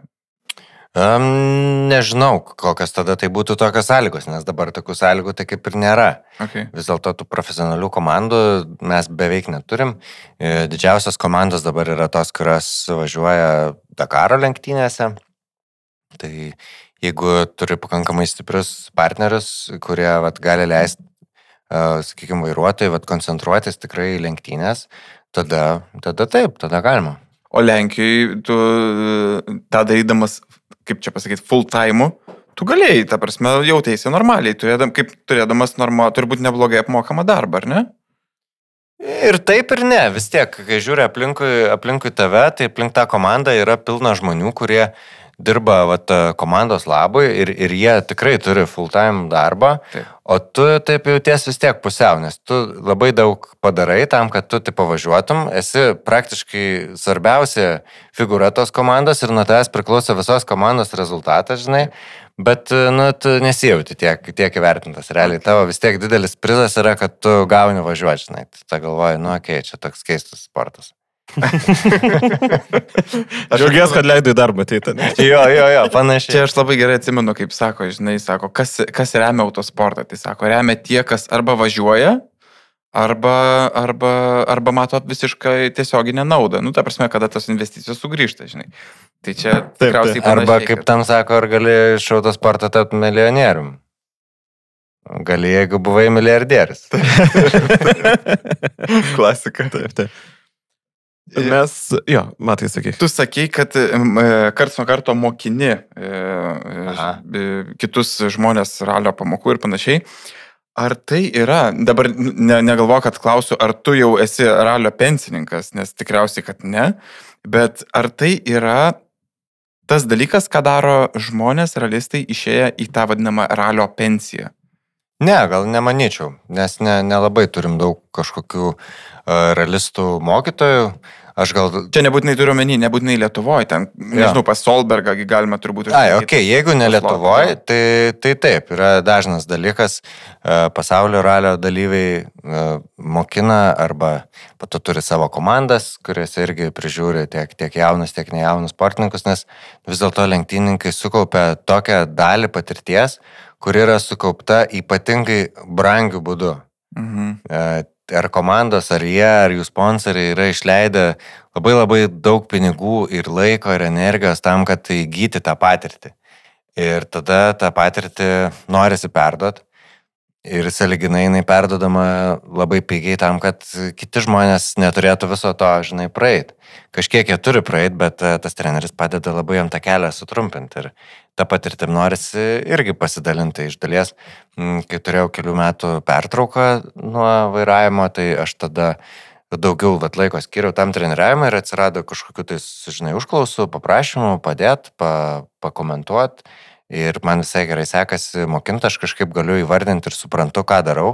Um, nežinau, kokios tada tai būtų tokios sąlygos, nes dabar tokių sąlygų tai kaip ir nėra. Okay. Vis dėlto tų profesionalių komandų mes beveik neturim. Didžiausios komandos dabar yra tos, kurios važiuoja Dakaro lenktynėse. Tai jeigu turi pakankamai stiprius partnerius, kurie vat, gali leisti, uh, sakykime, vairuotojai vat, koncentruotis tikrai lenktynės, tada, tada taip, tada galima. O Lenkijoje tu tą darydamas, kaip čia pasakyti, full time, tu galėjai, ta prasme, jautėsi normaliai, turėdam, kaip turėdamas norma, turbūt neblogai apmokamą darbą, ar ne? Ir taip ir ne, vis tiek, kai žiūri aplinkui, aplinkui tave, tai aplink tą komandą yra pilna žmonių, kurie dirba vat, komandos labui ir, ir jie tikrai turi full-time darbą, taip. O tu taip jauties vis tiek pusiau, nes tu labai daug padarai tam, kad tu taip pavažiuotum, esi praktiškai svarbiausia figūra tos komandos ir nuo tavęs priklauso visos komandos rezultatas, žinai, bet nu, tu nesijauti tiek, tiek įvertintas. Realiai tavo vis tiek didelis prizas yra, kad tu gauni važiuoti, žinai, tu tą galvoji, nu okei, okay, čia toks keistas sportas. Aš džiaugiuosi, kad leidai darbą ateiti. Jo, jo, jo, panašiai. Čia aš labai gerai atsimenu, kaip sako, žinai, sako, kas, kas remia autosportą. Tai sako, remia tie, kas arba važiuoja, arba, arba, arba mato visiškai tiesioginę naudą. Nu, ta prasme, kada tos investicijos sugrįžta, žinai. Tai čia tikriausiai panašiai. Arba, kaip tam sako, ar gali iš autosporto tapti milijonierium? Gali, jeigu buvai milijardierius. Klasika. Taip, taip. Mes, jo, matai, sakai. Tu sakei, kad karts nuo karto mokini Aha. kitus žmonės ralio pamokų ir panašiai. Ar tai yra, dabar ne, negalvoju, kad klausiu, ar tu jau esi ralio pensininkas, nes tikriausiai, kad ne, bet ar tai yra tas dalykas, ką daro žmonės, ralistai, išėję į tą vadinamą ralio pensiją? Ne, gal nemanyčiau, nes ne, nelabai turim daug kažkokių uh, realistų mokytojų. Aš gal... Čia nebūtinai turiu menį, nebūtinai Lietuvoje, ten, nežinau, pas Solbergą galima turbūt... Ai, okei, okay, jeigu ne Lietuvoje, tai, tai taip, yra dažnas dalykas, uh, pasaulio ralio dalyviai uh, mokina arba pato turi savo komandas, kurias irgi prižiūri tiek, tiek jaunus, tiek nejaunus sportininkus, nes vis dėlto lenktynininkai sukaupia tokią dalį patirties, kur yra sukaupta ypatingai brangių būdų. Mhm. Ar komandos, ar jie, ar jų sponsoriai yra išleidę labai labai daug pinigų ir laiko ir energijos tam, kad įgyti tą patirtį. Ir tada tą patirtį norisi perduoti. Ir sąlyginai jinai perdodama labai pigiai tam, kad kiti žmonės neturėtų viso to, žinai, praeit. Kažkiek jie turi praeit, bet tas treneris padeda labai jam tą kelią sutrumpinti. Ir tą patirtim norisi irgi pasidalinti iš dalies. Kai turėjau kelių metų pertrauką nuo vairavimo, tai aš tada daugiau vat, laiko skiriau tam treniriavimui ir atsirado kažkokiu tai, žinai, užklausų, paprašymų, padėti, pa, pakomentuoti. Ir man visai gerai sekasi mokinti, aš kažkaip galiu įvardinti ir suprantu, ką darau,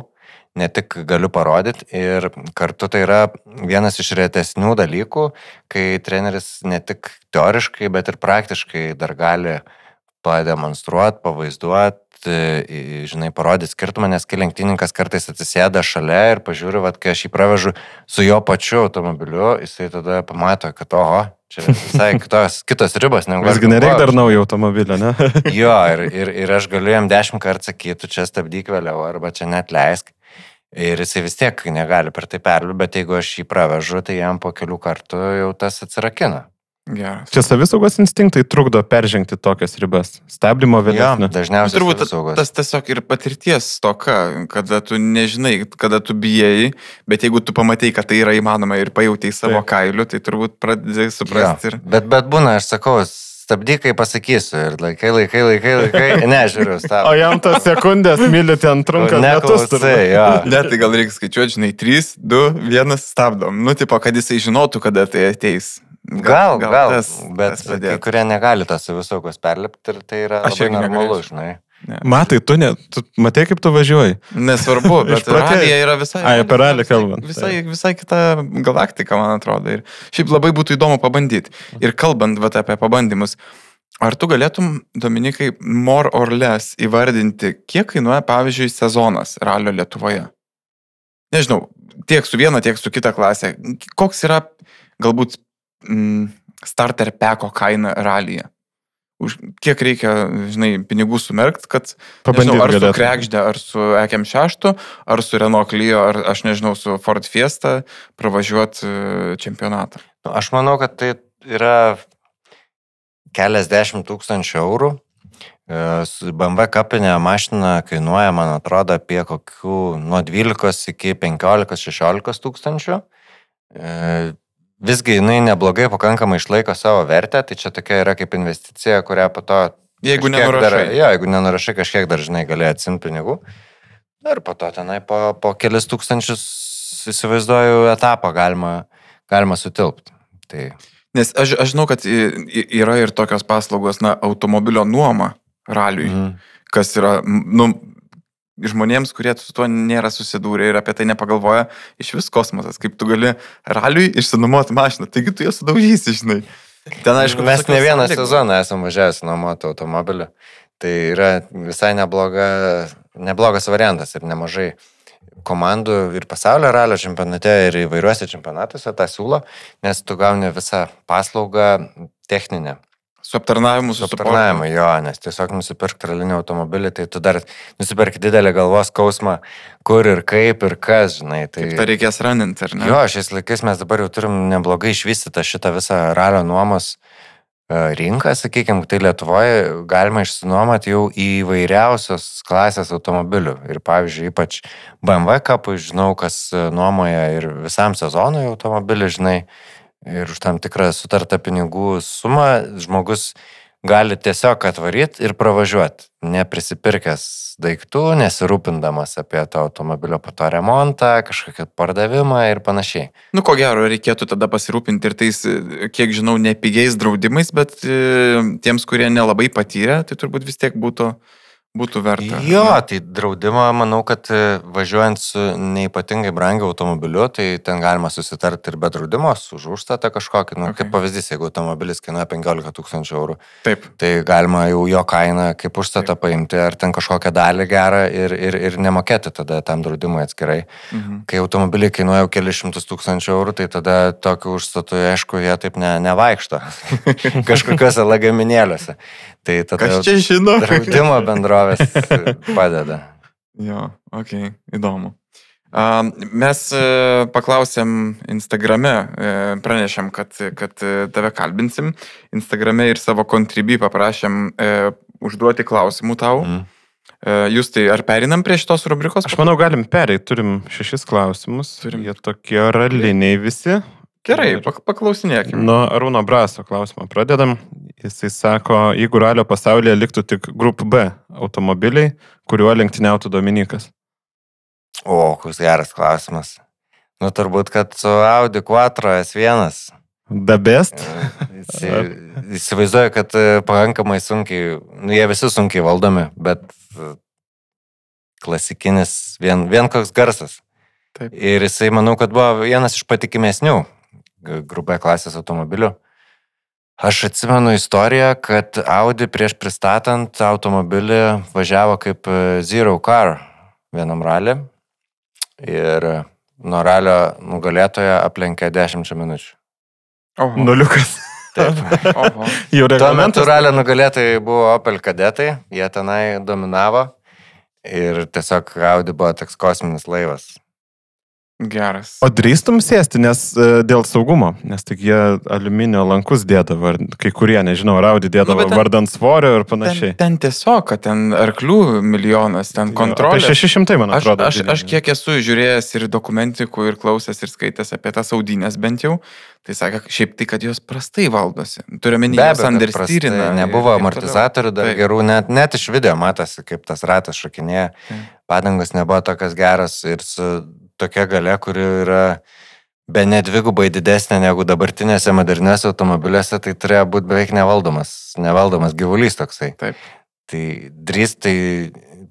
ne tik galiu parodyti. Ir kartu tai yra vienas iš retesnių dalykų, kai treneris ne tik teoriškai, bet ir praktiškai dar gali pademonstruoti, pavaizduoti, žinai, parodyti skirtumą, nes kai lenktynininkas kartais atsisėda šalia ir pažiūri, vat, kai aš jį pravežu su jo pačiu automobiliu, jisai tada pamato, kad oho, čia visai kitos, kitos ribos. Visgi nereikia dar naujo automobilio, ne? Jo, ir, ir, ir aš galiu jam dešimt kartų sakyti, čia stabdyk vėliau, arba čia net leisk. Ir jisai vis tiek negali per tai perliūti, bet jeigu aš jį pravežu, tai jam po kelių kartų jau tas atsirakina. Geras. Čia savisaugos instinktai trukdo peržengti tokias ribas. Stabdymo vėlesnė. Dažniausiai turbūt tas tiesiog ir patirties toka, kada tu nežinai, kada tu bijai, bet jeigu tu pamatai, kad tai yra įmanoma ir pajautai savo Taip. kailiu, tai turbūt pradėjai suprasti. Ir... Bet, bet būna, aš sakau, stabdykai pasakysiu ir laikai, laikai, laikai, laikai, nežiūriu, stabdykai. O jam tas sekundės myli ten trunka metus. Ne, tai gal reikia skaičiuoti, žinai, trys, du, vienas stabdom. Nu, tipo, kad jisai žinotų, kada tai ateis. Gal, gal, gal tas, bet tas kai kurie negali tos savisaugos perlipti ir tai yra Aš labai normalu, žinai. Ne. Matai, tu, ne, tu matai, kaip tu važiuoji. Nesvarbu, bet radija yra visai... Ai, apie ralį kalbant. Visai, visai kita galaktika, man atrodo. Ir šiaip labai būtų įdomu pabandyti. Ir kalbant vat, apie pabandymus, ar tu galėtum, Dominikai, more or less įvardinti, kiek kainuoja, pavyzdžiui, sezonas ralio Lietuvoje? Nežinau, tiek su viena, tiek su kita klasė. Koks yra, galbūt, starter peko kaina ralyje. Už kiek reikia, žinai, pinigų sumerkt, kad, nežinau, ar su Krekždė, ar su E K M šeši, ar su Renault Clio, ar, aš nežinau, su Ford Fiesta pravažiuoti čempionatą. Nu, aš manau, kad tai yra keliasdešimt tūkstančių eurų. B M W kapinė mašina kainuoja, man atrodo, apie kokių nuo dvylikos iki penkiolikos šešiolikos tūkstančių. visgi jinai neblogai pakankamai išlaiko savo vertę, tai čia tokia yra kaip investicija, kurią po to... Jeigu nenurašai. Dar, jo, jeigu nenurašai, kažkiek dar, žinai, gali atsimti pinigų. Ir po to tenai po, po kelis tūkstančius, įsivaizduoju, etapą galima, galima sutilpti. Tai... Nes aš, aš žinau, kad yra ir tokios paslaugos, na, automobilio nuoma raliui, mm. kas yra, nu, žmonėms, kurie su tuo nėra susidūrę ir apie tai nepagalvoja, iš vis kosmosas, kaip tu gali raliui išsinuomoti mašiną, taigi tu ją sudaužysi, žinai. Ten, aišku, mes ne vieną sąlygų. Sezoną esame važiavęs nuomoti automobiliu, tai yra visai nebloga, neblogas variantas ir nemažai komandų ir pasaulio ralio čempionate ir įvairiuose čempionatuose tą siūlo, nes tu gauni visą paslaugą techninę. Su aptarnavimu, su aptarnavimu, jo, nes tiesiog nusipirk tralinį automobilį, tai tu dar nusipirk didelį galvos skausmą, kur ir kaip ir kas, žinai. Tai kaip tą reikės raninti, ar ne? Jo, šiais laikais mes dabar jau turim neblogai išvystytą šitą visą ralio nuomos rinką, sakykime, tai Lietuvoje galima išsinuomoti jau įvairiausios klasės automobilių. Ir pavyzdžiui, ypač B M W kapui, žinau, kas nuomoja ir visam sezonui automobilį, žinai, ir už tam tikrą sutartą pinigų sumą žmogus gali tiesiog atvaryti ir pravažiuoti, neprisipirkęs daiktų, nesirūpindamas apie tą automobilio po to remontą, kažkokį pardavimą ir panašiai. Nu, ko gero, reikėtų tada pasirūpinti ir tais, kiek žinau, nepigiais draudimais, bet tiems, kurie nelabai patyrė, tai turbūt vis tiek būtų, būtų verta. Jo, ne? Tai draudimą, manau, kad važiuojant su neipatingai brangiu automobiliu, tai ten galima susitarti ir be draudimo, už užstatą kažkokį. Nu, okay. Kaip pavyzdys, jeigu automobilis kainuoja penkiolika tūkstančių eurų, taip. Tai galima jau jo kainą kaip užstatą taip. Paimti, ar ten kažkokią dalį gerą ir, ir, ir nemokėti tada tam draudimui atskirai. Mhm. Kai automobiliai kainuoja jau kelius šimtus tūkstančių eurų, tai tada tokiu užstatu, aišku, jie taip ne, nevaikšto kažkokiuose lagaminėliuose. Tai tada kas čia žino? Draudimo bendrovės padeda. Jo, okei, okay, įdomu. Mes paklausėm Instagrame, pranešėm, kad, kad tave kalbinsim. Instagrame ir savo kontribį paprašėm užduoti klausimų tau. Mm. Jūs tai ar perinam prie šitos rubrikos? Aš manau, galim pereiti. Turim šešis klausimus. Turim. Jie tokie raliniai visi. Gerai, paklausinėkime. Nuo Arūno Braso klausimą pradedam. Jisai sako, jeigu ralio pasaulyje liktų tik Group B automobiliai, kuriuo lenktyniautų Dominikas. O, koks geras klausimas. Nu, turbūt, kad su Audi quattro S vienas. The best? Įsivaizduoju, kad pakankamai sunkiai, nu, jie visi sunkiai valdomi, bet klasikinis, vien, vien koks garsas. Taip. Ir jisai, manau, kad buvo vienas iš patikimesnių Group B klasės automobilių. Aš atsimenu istoriją, kad Audi prieš pristatant automobilį važiavo kaip Zero Car vienam ralį ir nuo ralio nugalėtojo aplenkė dešimčia minučių. Oho. Nuliukas. Taip. Oho. Tuo metu ralio nugalėtojai buvo Opel kadetai, jie tenai dominavo ir tiesiog Audi buvo toks kosminis laivas. Geras. O drįstum sėsti, nes dėl saugumo, nes tik jie aliuminio lankus dėdavo, kai kurie, nežinau, Audi dėdavo nu, ten, vardant svorio ir panašiai. Ten, ten tiesiog, kad ten arklių milijonas, ten kontrolė. Apie šeši šimtai, man atrodo. Aš, aš, aš kiek esu žiūrėjęs ir dokumentikų, ir klausęs, ir skaitęs apie tas audinės bent jau, tai sakė, šiaip tai, kad jos prastai valdosi. Turiu menį, jos understyrina. Nebuvo amortizatorių dar taip. Gerų, net, net iš video matosi, kaip tas ratas šokinėja. Padangos nebuvo tokios geros ir su tokia galia, kuri yra be ne dvigubai didesnė negu dabartinėse moderniuose automobiliuose, tai turėjo būti beveik nevaldomas, nevaldomas gyvulys toksai. Taip. Tai drįst, tai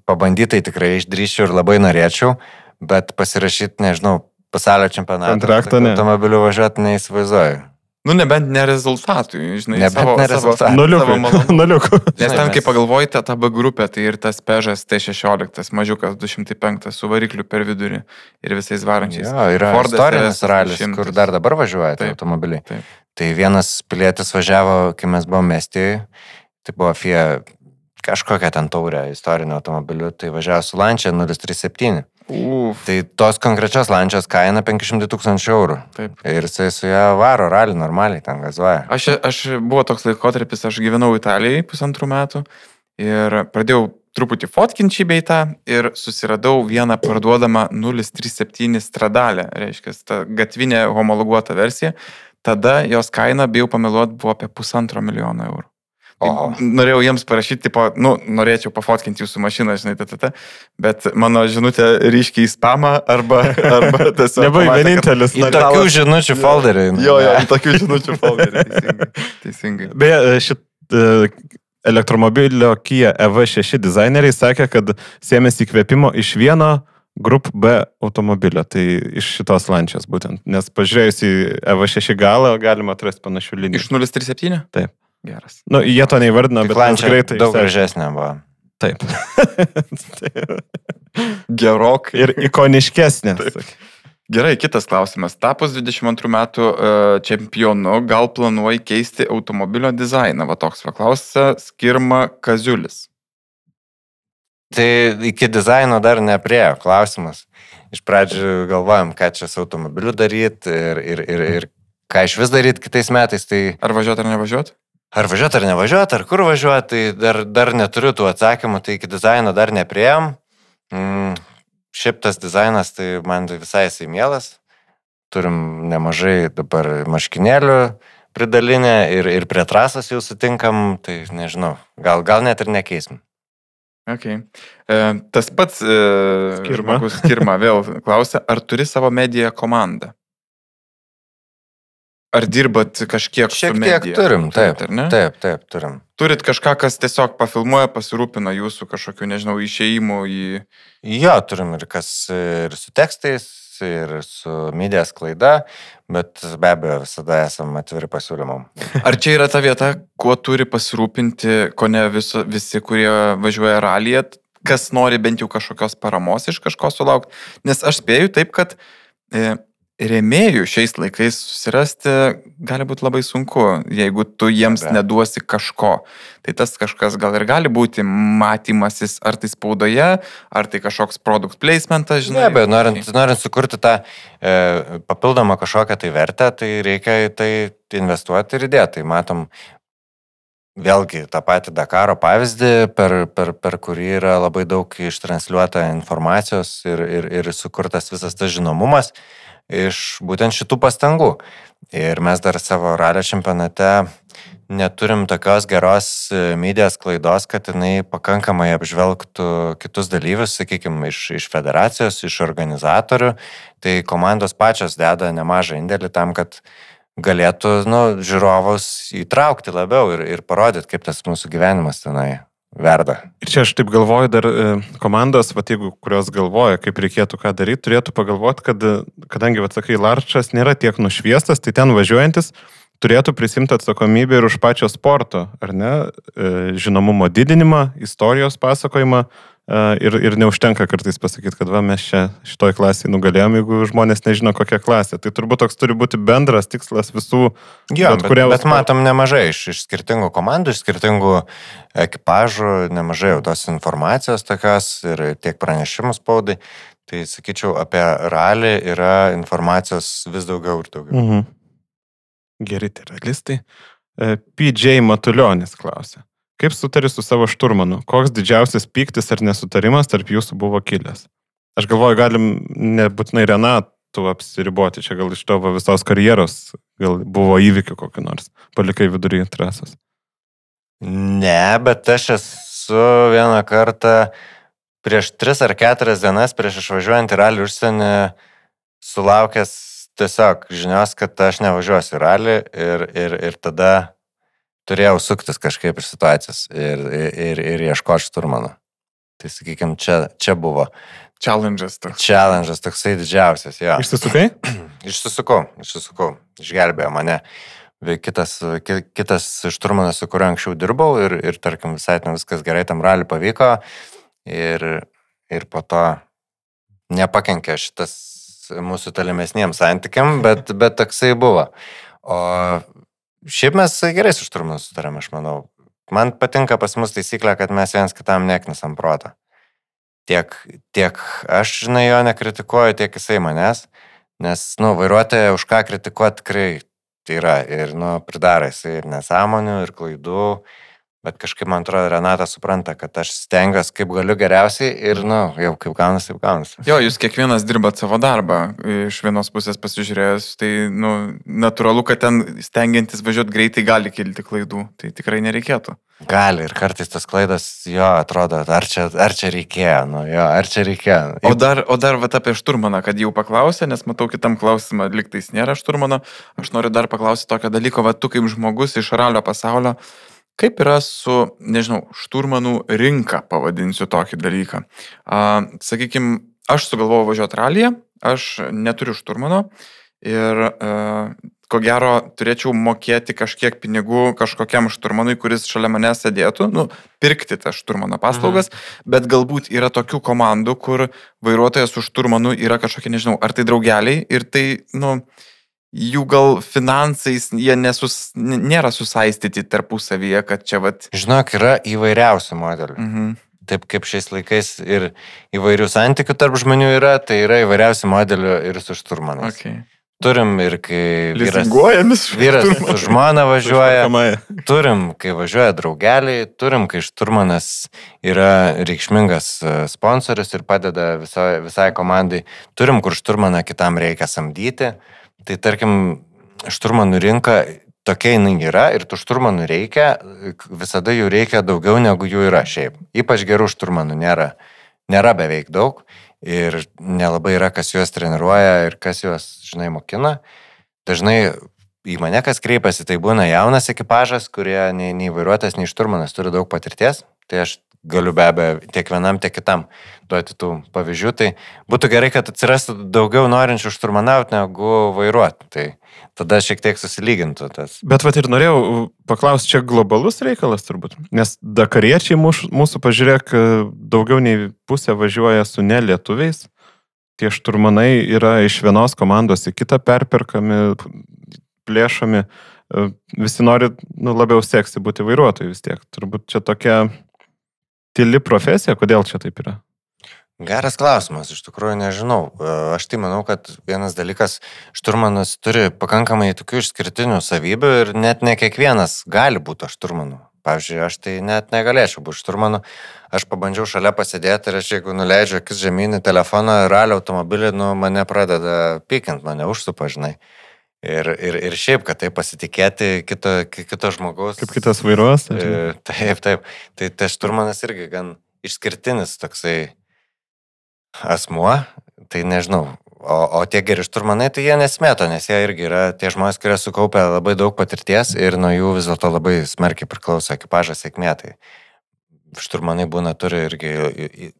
pabandytai tikrai išdrįščiau ir labai norėčiau, bet pasirašyti, nežinau, pasaulio čempionatą automobiliu važiuoti neįsivaizduoju. Nu, nebent ne rezultatui, žinai, nebent savo, ne rezultatui. Nuliukų. Nes ten, kai pagalvojate, ta B grupė, tai ir tas Peugeot T šešiolika, mažiukas du šimtai penki su varikliu per vidurį ir visais varančiais. Jo, yra Fordas istorinis ralis, kur dar dabar važiuoja tai automobiliai. Taip. Tai vienas pilietis važiavo, kai mes buvome Estijoje, tai buvo Fiat kažkokią ten taurę istorinio automobiliu, tai važiavo su Lancia nulis trys septyni. Uf. Tai tos konkrečios Lancios kaina penki šimtai tūkstančių eurų. Taip. Ir jisai su ją varo ralį normaliai, ten gazuoja. Aš, aš buvo toks laikotarpis, aš gyvenau Italijai pusantrų metų ir pradėjau truputį fotkinčiai bei tą ir susiradau vieną parduodamą nulis trys septyni Stradalę, reiškia, ta gatvinė homologuota versija. tada jos kaina, bijau pameluot, buvo apie pusantro milijono eurų. Tai Oho. norėjau jiems parašyti, tipo, nu, norėčiau pafotkinti jūsų mašiną, žinai, tata, bet mano žinutė ryškiai į spamą arba, arba tiesiog... Nebuvai pamatė, vienintelis. Į tokių žinučių folderį. Jo, jo, į tokių žinučių folderį, teisingai. teisingai. Beje, šit e, elektromobilio Kia E V šeši dizaineriai sakė, kad sėmėsi įkvėpimo iš vieno Group B automobilio, tai iš šitos lančios būtent, nes pažiūrėjus į E V šeši galą galima atrasti panašių linijų. Iš nulis trys septyni? Taip. Geras. Nu, jie to neįvardino, bet mes greitai... Daug išsiaiškinom. gražesnė buvo. Taip. Gerokai. Ir ikoniškesnė. Gerai, kitas klausimas. Tapus dvidešimt antrų metų uh, čempionu, gal planuoji keisti automobilio dizainą? Va toks paklausia Skirma Kaziulis. Tai iki dizaino dar nepriejo klausimas. Iš pradžių galvojam, ką čia su automobiliu daryti ir, ir, ir, ir ką iš vis daryti kitais metais. Tai... Ar važiuoti ar nevažiuoti? Ar važiuoti ar nevažiuoti, ar kur važiuoti, tai dar, dar neturiu tų atsakymų, tai iki dizaino dar neprieėm. Mm, šiaip tas dizainas, tai man visai jisai mielas. Turim nemažai dabar marškinėlių pridalinę ir, ir prie trasos jau sutinkam, tai nežinau, gal, gal net ir nekeisim. Okay. E, tas pats e, Skirma. žmogus Skirma vėl klausia, ar turi savo mediją komandą? Ar dirbat kažkiek Šiek su medija? tiek turim, taip, ar ne? taip, taip, turim. Turit kažką, kas tiesiog pafilmuoja, pasirūpina jūsų kažkokiu, nežinau, išėjimų į... Jo, turim ir kas ir su tekstais, ir su medijos klaida, bet be abejo visada esam atviri pasiūlymam. Ar čia yra ta vieta, kuo turi pasirūpinti, ko ne viso, visi, kurie važiuoja ralyje, kas nori bent jau kažkokios paramos iš kažko sulaukti? Nes aš spėju taip, kad... E, rėmėjų šiais laikais susirasti gali būti labai sunku, jeigu tu jiems Be. neduosi kažko. Tai tas kažkas gal ir gali būti matymasis ar tai spaudoje, ar tai kažkoks product placementas, žinai. Ne, bet norint, norint sukurti tą e, papildomą kažkokią tai vertę, tai reikia į tai investuoti ir įdėti. Tai matom vėlgi tą patį Dakaro pavyzdį, per, per, per kurį yra labai daug ištransliuota informacijos ir, ir, ir sukurtas visas tas žinomumas iš būtent šitų pastangų. Ir mes dar savo ralio čempionate neturim tokios geros medijos klaidos, kad jinai pakankamai apžvelgtų kitus dalyvius, sakykime, iš, iš federacijos, iš organizatorių. Tai komandos pačios deda nemažą indėlį tam, kad galėtų nu, žiūrovus įtraukti labiau ir, ir parodyti, kaip tas mūsų gyvenimas tenai verda. Ir čia aš taip galvoju, dar komandos, va, jeigu kurios galvoja, kaip reikėtų ką daryti, turėtų pagalvoti, kad, kadangi, va, sakai, Larčas nėra tiek nušviestas, tai ten važiuojantis turėtų prisimti atsakomybę ir už pačio sporto, ar ne, žinomumo didinimą, istorijos pasakojimą ir, ir neužtenka kartais pasakyti, kad va, mes čia šitoj klasėje nugalėjom, jeigu žmonės nežino, kokia klasė. Tai turbūt toks turi būti bendras tikslas visų. Jo, bet, bet, bet matom nemažai iš, iš skirtingų komandų, iš skirtingų ekipažų, nemažai jau tos informacijos tokios ir tiek pranešimų spaudai. Tai sakyčiau, apie ralį yra informacijos vis daugiau ir daugiau. Mhm. Geri tai realistai. P J Matulionis klausia. Kaip sutari su savo šturmanu? Koks didžiausias pyktis ar nesutarimas tarp jūsų buvo kilęs? Aš galvoju, galim nebūtinai Renatų apsiriboti, čia gal iš tavo visos karjeros, gal buvo įvykių kokį nors, palikai vidury trasos. Ne, bet aš esu vieną kartą prieš tris ar keturias dienas prieš išvažiuojant į ralį užsienį sulaukęs tiesiog žinios, kad aš nevažiuosiu į ralį ir, ir, ir tada turėjau suktis kažkaip iš situacijos ir, ir, ir ieškoti šturmano. Tai sakykime, čia, čia buvo. Challenge'as toks. Challenge'as toksai didžiausias, jo. Išsisukai? Išsisukau, išsisukau. Išgelbėjo mane. Kitas, kitas šturmanas, su kuriuo anksčiau dirbau ir, ir tarkim, visai ten viskas gerai tam ralį pavyko ir, ir po to nepakenkė šitas mūsų tolimesniems santykiam, bet, bet toksai buvo. O šiaip mes gerai su šturmanu sutarėm, aš manau. Man patinka pas mus taisyklė, kad mes viens kitam neknisam protą. Tiek, tiek aš, žinai, jo nekritikuoju, tiek jisai manęs, nes, nu, vairuotoją už ką kritikuoti tikrai tai yra ir, nu, pridara jisai ir nesąmonių, ir klaidų, Bet kažkaip, man atrodo, Renata supranta, kad aš stengiuosi kaip galiu geriausiai ir, na, nu, jau kaip gaunasi, kaip gaunasi. Jo, jūs kiekvienas dirbat savo darbą. Iš vienos pusės pasižiūrėjus, tai, nu, natūralu, kad ten stengiantis važiuoti greitai gali kilti klaidų. Tai tikrai nereikėtų. Gali ir kartais tas klaidas, jo, atrodo, ar čia, ar čia reikėjo, nu, jo, ar čia reikėjo. O dar, o dar vat, apie šturmaną, kad jau paklausė, nes matau kitam klausimą, liktais nėra šturmano. Aš noriu dar paklausyti tokio dalyko, va, tu kaip žmogus iš ralio pasaulio, kaip yra su, nežinau, šturmanų rinka, pavadinsiu tokį dalyką. Uh, sakykime, aš sugalvojau važiuoti ralyje, aš neturiu šturmano ir uh, ko gero turėčiau mokėti kažkiek pinigų kažkokiam šturmanui, kuris šalia mane sėdėtų, nu, pirkti tą šturmano paslaugas, mhm. bet galbūt yra tokių komandų, kur vairuotojas su šturmanu yra kažkokie, nežinau, ar tai draugeliai ir tai, nu, jų gal finansais jie nesus, nėra susaistyti tarpusavyje, kad čia vat... Žinok, yra įvairiausių modelių. Mhm. Taip kaip šiais laikais ir įvairių santykių tarp žmonių yra, tai yra įvairiausių modelių ir su šturmanais. Okay. Turim ir kai vyras, vyras su žmona važiuoja, turim, kai važiuoja draugeliai, turim, kai šturmanas yra reikšmingas sponsoris ir padeda visai, visai komandai, turim, kur šturmaną kitam reikia samdyti. Tai tarkim, šturmanų rinka tokia jinai yra ir tų šturmanų reikia, visada jų reikia daugiau negu jų yra šiaip. Ypač gerų šturmanų nėra, nėra beveik daug ir nelabai yra, kas juos treniruoja ir kas juos, žinai, mokina. Dažnai į mane, kas kreipiasi, tai būna jaunas ekipažas, kurie nei, nei vairuotojas, nei šturmanas turi daug patirties, tai aš galiu be abejo tiek vienam, tiek kitam duoti tų pavyzdžių. Tai būtų gerai, kad atsirastų daugiau norinčių šturmanauti negu vairuoti. Tai tada šiek tiek susilygintų tas. Bet vat ir norėjau paklausti, čia globalus reikalas turbūt. Nes dakariečiai mūsų, mūsų pažiūrėk, daugiau nei pusė važiuoja su nelietuviais. Tie šturmanai yra iš vienos komandos į kitą perperkami, plėšami. Visi nori, nu, labiau seksi būti vairuotojai vis tiek. Turbūt čia tokia tyli profesija, kodėl čia taip yra? Geras klausimas, iš tikrųjų nežinau. Aš tai manau, kad vienas dalykas, šturmanas turi pakankamai tokių išskirtinių savybių ir net ne kiekvienas gali būti šturmanu. Pavyzdžiui, aš tai net negalėčiau būti šturmanu. Aš pabandžiau šalia pasėdėti ir aš jeigu nuleidžiu akis žemyn į telefoną, ralio automobilį, nu, mane pradeda pykint, mane užsupa, žinai. Ir, ir, ir šiaip, kad tai pasitikėti kito, kito žmogaus. Kaip kitas vairuos? Taip, taip. Tai tas šturmanas irgi gan išskirtinis toksai asmuo, tai nežinau. O, o tie geri šturmanai, tai jie nesmėto, nes jie irgi yra tie žmonės, kurie sukaupia labai daug patirties ir nuo jų vis dėlto labai smarkiai priklauso ekipažo sėkmė. Tai šturmanai būna turi irgi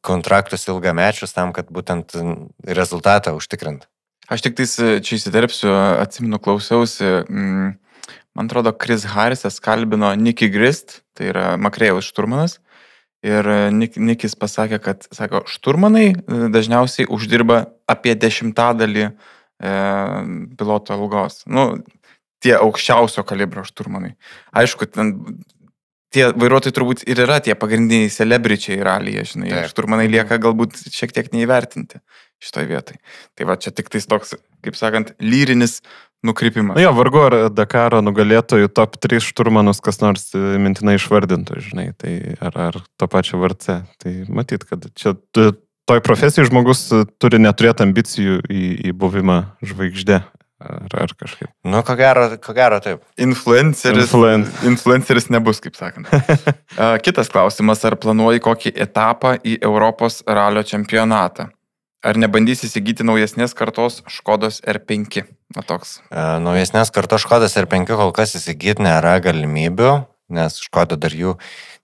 kontraktus ilgamečius tam, kad būtent rezultatą užtikrint. Aš tik tais čia įsiterpsiu, atsimenu, klausiausi, mm, man atrodo, Chris Harrisas kalbino Nicky Grist, tai yra Makrėjaus šturmanas, ir Nik, Nikis pasakė, kad, sako, šturmanai dažniausiai uždirba apie dešimtadalį e, piloto algos. Nu, tie aukščiausio kalibro šturmanai. Aišku, ten tie vairuotojai turbūt ir yra tie pagrindiniai celebričiai ralyje, žinai, ir šturmanai lieka galbūt šiek tiek neįvertinti šitoj vietai. Tai va, čia tik tais toks, kaip sakant, lyrinis nukrypimas. Na jo, vargu ar Dakaro nugalėtojų top trys šturmanus kas nors mintinai išvardintų, žinai, tai ar, ar to pačio V R C. Tai matyt, kad čia toj profesijai žmogus turi neturėti ambicijų į, į buvimą žvaigždė. Ar, ar kažkaip. Nu, ko gero, ko gero taip. Influenceris, Influen... influenceris nebus, kaip sakant. Kitas klausimas, ar planuoji kokį etapą į Europos ralio čempionatą? Ar nebandys įsigyti naujesnės kartos Škodos R penki? Na, toks. E, naujesnės kartos Škodos R penki kol kas įsigyti nėra galimybių, nes Škoda dar jų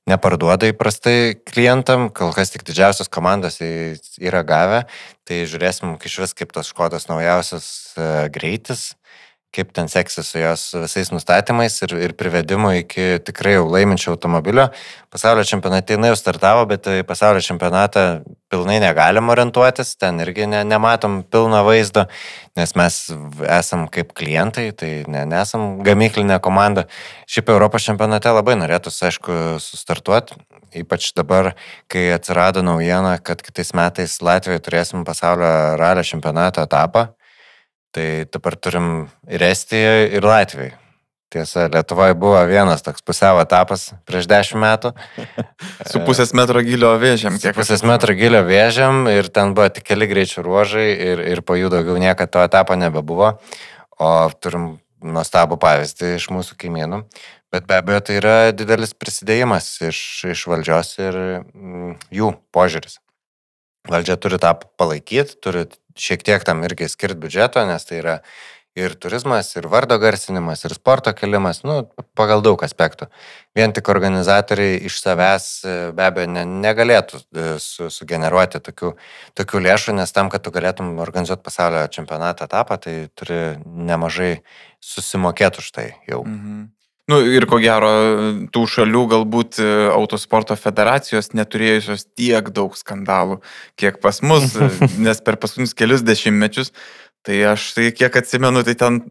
neparduoda įprastai klientam, kol kas tik didžiausios komandos yra gavę, tai žiūrėsim iš vis kaip tos Škodos naujausias greitis, kaip ten seksis su jos visais nustatymais ir, ir privedimu iki tikrai jau laiminčio automobilio. Pasaulio čempionate jinai jau startavo, bet pasaulio čempionatą pilnai negalim orientuotis, ten irgi ne, nematom pilno vaizdo, nes mes esam kaip klientai, tai ne, nesam gamyklinė komanda. Šiaip Europos čempionate labai norėtųsi, aišku, sustartuoti, ypač dabar, kai atsirado naujiena, kad kitais metais Latvijoje turėsim pasaulio ralio čempionato etapą. Tai dabar turim ir Estijoje, ir Latvijoje. Tiesa, Lietuvoje buvo vienas toks pusiau etapas prieš dešimt metų. Su pusės metro gilio vėžiam. Su pusės metro gilio vėžiam ir ten buvo tik keli greičių ruožai ir, ir po jų daugiau niekada to etapo nebebuvo. O turim nuostabų pavyzdį iš mūsų kaimynų. Bet be abejo, tai yra didelis prisidėjimas iš, iš valdžios ir mm, jų požiūris. Valdžia turi tą palaikyti, turi šiek tiek tam irgi skirti biudžeto, nes tai yra ir turizmas, ir vardo garsinimas, ir sporto kelimas, nu, pagal daug aspektų. Vien tik organizatoriai iš savęs be abejo ne, negalėtų su, sugeneruoti tokių, tokių lėšų, nes tam, kad tu galėtum organizuoti pasaulio čempionato etapą, tai turi nemažai susimokėti už tai jau. Mhm. Nu ir ko gero, tų šalių galbūt autosporto federacijos neturėjusios tiek daug skandalų, kiek pas mus, nes per paskutinius kelius dešimtmečius tai aš tai kiek atsimenu, tai ten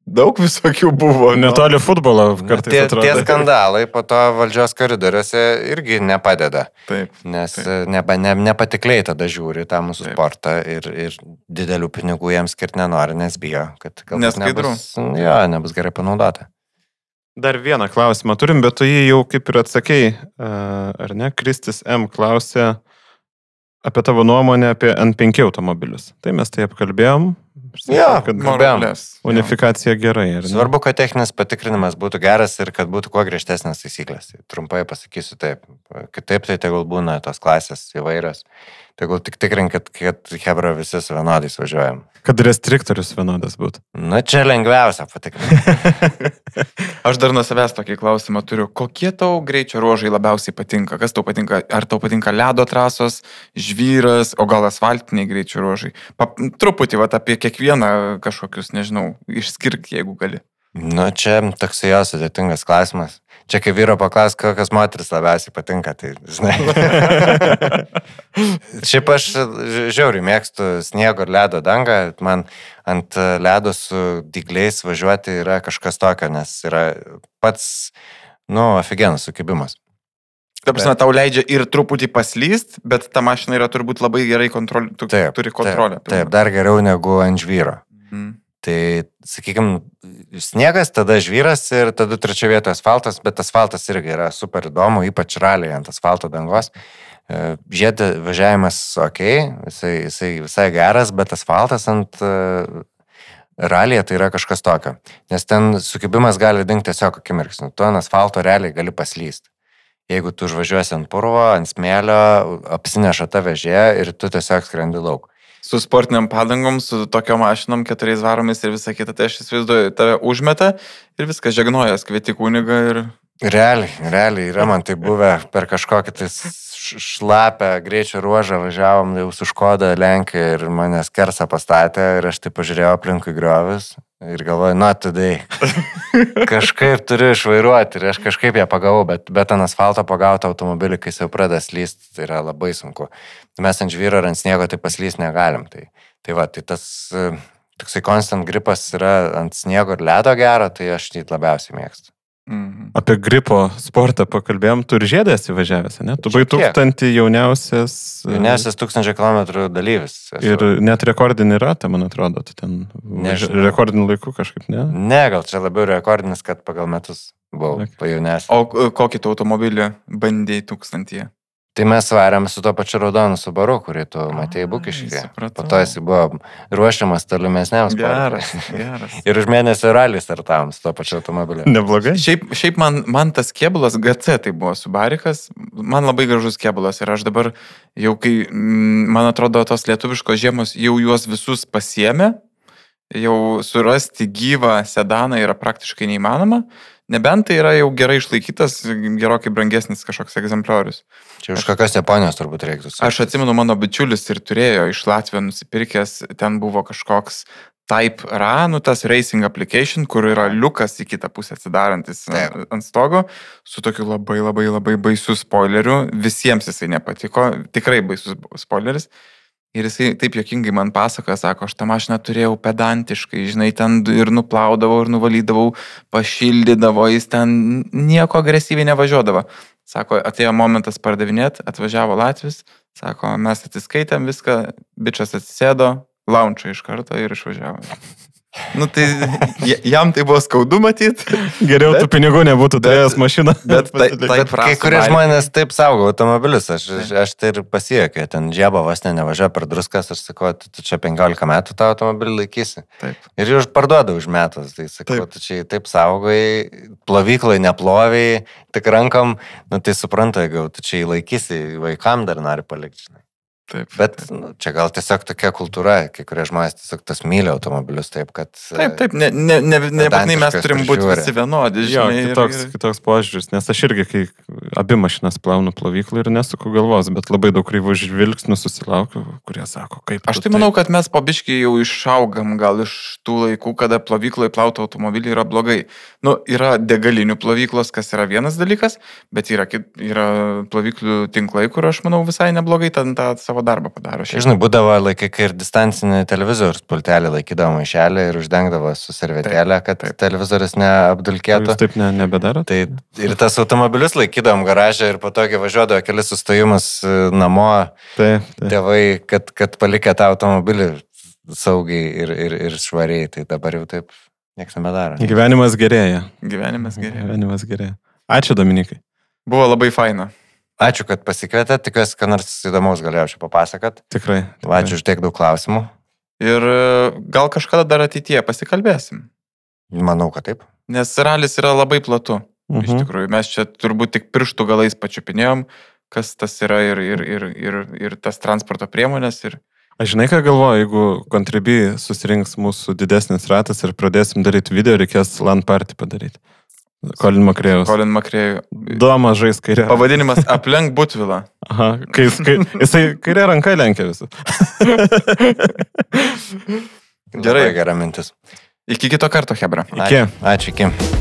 daug visokių buvo. Netoli futbolo kartais tie, atrodo. Tie skandalai po to valdžios koridoriuose irgi nepadeda. Taip. Nes taip. Ne, ne, nepatikliai tada žiūri tą mūsų Taip. sportą ir, ir didelių pinigų jiems skirti nenori, nes bijo, kad galbūt Neskaidru. nebus, jo, nebus gerai panaudota. Dar vieną klausimą turim, bet tu jį jau kaip ir atsakei, ar ne? Kristis M. klausė apie tavo nuomonę apie N penki automobilius. Tai mes tai apkalbėjom. Jo, kad kalbėjom. Unifikacija gerai. Ar ne? Svarbu, kad techninis patikrinimas būtų geras ir kad būtų kuo griežtesnės taisyklės. Tai trumpai pasakysiu taip. Kitaip tai tegul būna tos klasės įvairios. Tegul tik tikrinkit, kad hebra visi su vienodais važiuojam. Kad restriktorius vienodas būtų. Na, čia lengviausia patikrinti. Aš dar nuo savęs tokį klausimą turiu. Kokie tau greičio ruožai labiausiai patinka? Kas tau patinka? Ar tau patinka ledo trasos, žvyras, o gal asfaltiniai greičio ruožai? Pa, truputį vat, apie kiekvieną kažkokius, nežinau, išskirk, jeigu gali. Nu, čia toks jo sudėtingas klausimas. Čia kai vyro paklaus, kokios moteris labiausiai patinka, tai žinai. Šiaip aš žiauriai mėgstu sniego ir ledo dangą. Man ant ledo su dygliais važiuoti yra kažkas tokio, nes yra pats, nu, aфиgenas sukibimas. Ta prasme, tau leidžia ir truputį paslyst, bet ta mašina yra turbūt labai gerai kontrolė, tu taip, turi kontrolę. Taip, taip, dar geriau negu ant žvyro. Mm. Tai, sakykime, sniegas, tada žvyras ir tada trečia vieta asfaltas, bet asfaltas irgi yra super įdomu, ypač raliai ant asfalto dangos. Žiedė važiavimas ok, jisai, jisai visai geras, bet asfaltas ant uh, ralyje tai yra kažkas tokio. Nes ten sukibimas gali dingti tiesiog akimirksniu. Tu ant asfalto realiai gali paslysti. Jeigu tu užvažiuosi ant purvo, ant smėlio, apsineša ta vežė ir tu tiesiog skrendi lauk. Su sportiniam padangom, su tokio mašinom, keturiais varomis ir visą kitą, tai aš įsivaizduoju, tave užmeta ir viskas žegnojas, kvieti kunigą ir... Realiai, realiai yra man tai buvę per kažkokį tai šlapę greičio ruožą, važiavom jau su Škoda Lenkijoje ir manęs kersą pastatė ir aš tai pažiūrėjau aplinkui griovis ir galvoju, nu, tada kažkaip turiu išvairuoti ir aš kažkaip ją pagavau, bet, bet ant asfalto pagauti automobilį, kai jau pradeda slysti, tai yra labai sunku. Mes ant žvyro ar ant sniego tai paslysti negalim. Tai, tai va, tai tas toksai constant gripas yra ant sniego ir ledo gero, tai aš jį labiausiai mėgstu. Mhm. Apie gripo sportą pakalbėjom, tu ir žiedas įvažiavęs, ne? Tu buvai tūkstantį jauniausias... Jauniausias tūkstančio kilometrų dalyvis. Esu. Ir net rekordinį ratą, man atrodo, tu ten Nežinau. rekordinį laikų kažkaip, ne? Ne, gal čia labiau rekordinis, kad pagal metus buvau Okay. pajaunesnis. O kokį tu automobilį bandėjai tūkstantyje? Tai mes varėm su to pačiu raudonu Subaru, kurį tu matėjai Bukiškyje. supratau. Po to jis buvo ruošiamas tolimesniam sportui. Geras, geras. Ir už mėnesį ralį startavom su to pačiu automobiliu. Neblogai. Šiaip, šiaip man, man tas kėbulas G C tai buvo Subarikas, man labai gražus kėbulas ir aš dabar jau kai, man atrodo, tos lietuviškos žiemos jau juos visus pasiėmė, jau surasti gyvą sedaną yra praktiškai neįmanoma, nebent tai yra jau gerai išlaikytas, gerokai brangesnis kažkoks egzempliorius. Čia už kokios Japonijos turbūt reiktų. Aš atsimenu, mano bičiulis ir turėjo iš Latvijos nusipirkęs, ten buvo kažkoks Type R A, nu tas Racing Application, kur yra liukas į kitą pusę atsidarantis Taip. ant stogo, su tokiu labai labai labai baisiu spoileriu. Visiems jisai nepatiko, tikrai baisus spoileris. Ir jisai taip jokingai man pasakoja, sako, aš tą mašiną turėjau pedantiškai, žinai, ten ir nuplaudavau, ir nuvalydavau, pašildydavo, jis ten nieko agresyviai nevažiuodavo. Sako, atėjo momentas pardavinėti, atvažiavo Latvis, sako, mes atsiskaitėm viską, bičas atsisėdo, launčą iš karto ir išvažiavo. Nu, tai jam tai buvo skaudu matyti. Geriau bet, tų pinigų nebūtų turėjęs mašiną. Bet, tai, tai bet kai kurie žmonės taip saugo automobilius, aš, aš tai ir pasiekiu, ten džiaba vos ne nevažiuoja per druskas, aš sakau, tu, tu čia penkiolika metų tą automobilį laikysi. Taip. Ir jau parduoda už metus, tai sakau, taip. Tu čia taip saugai, plovyklai neploviai, tik rankam, nu tai supranta, jeigu tu čia įlaikysi, vaikam dar nori palikti. Taip, bet taip. Nu, čia gal tiesiog tokia kultūra, kai kurie žmonės tiesiog tas myli automobilius, taip, kad... Taip, taip, ne, ne, ne, nebūtinai mes turim būti visi vienodi, žinai. Jo, kitoks, ir, ir... kitoks požiūris, nes aš irgi, kai abi mašinas plaunu plovyklą ir nesuku galvos, bet labai daug kreivų žvilgsnių susilaukiu, kurie sako, kaip... Aš tai manau, kad mes po biškį jau išaugam gal iš tų laikų, kada plovykloje plauti automobilį yra blogai. Nu, yra degalinių plovyklos, kas yra vienas dalykas, bet yra, yra plovyklių tinklai, kur aš manau visai neblogai ten tą savo darbą padaro. Šiaip. Žinai, būdavo laikai, kai ir distancinį televizorius pultelį laikydavo maišelį ir uždengdavo su servetėlė, kad taip, taip. Televizorius neapdulkėtų. Jūs taip ne, nebedaro? Tai ir tas automobilius laikydavom garažą ir po to, kai važiuodavo kelis sustojimus namo, taip, taip. Tėvai, kad, kad palikė tą automobilį saugiai ir, ir, ir švariai, tai dabar jau taip nieks nebedaro. Gyvenimas gerėja. Gyvenimas gerėja. Gyvenimas gerėja. Ačiū, Dominikai. Buvo labai faina. Ačiū, kad pasikvietė, tikiuosi, kad nors įdomaus galėjau čia papasakot. Tikrai. tikrai. Ačiū už tiek daug klausimų. Ir gal kažkada dar ateityje pasikalbėsim. Manau, kad taip. Nes ralis yra labai platu. Mhm. Iš tikrųjų, mes čia turbūt tik pirštų galais pačiupinėjom, kas tas yra ir, ir, ir, ir, ir tas transporto priemonės. Ir... Aš žinai, ką galvoju, jeigu Contribui susirinks mūsų didesnis ratas ir pradėsim daryti video, reikės LAN party padaryti. Colin McRae'us. Colin McRae. Doma žais kairė. Pavadinimas aplenk Butvilą. Aha, kai, kai, jisai kairė ranka lenkia visą. Gerai, gera mintis. Iki kito karto, Hebra. Iki. Ačiū, ačiū, iki.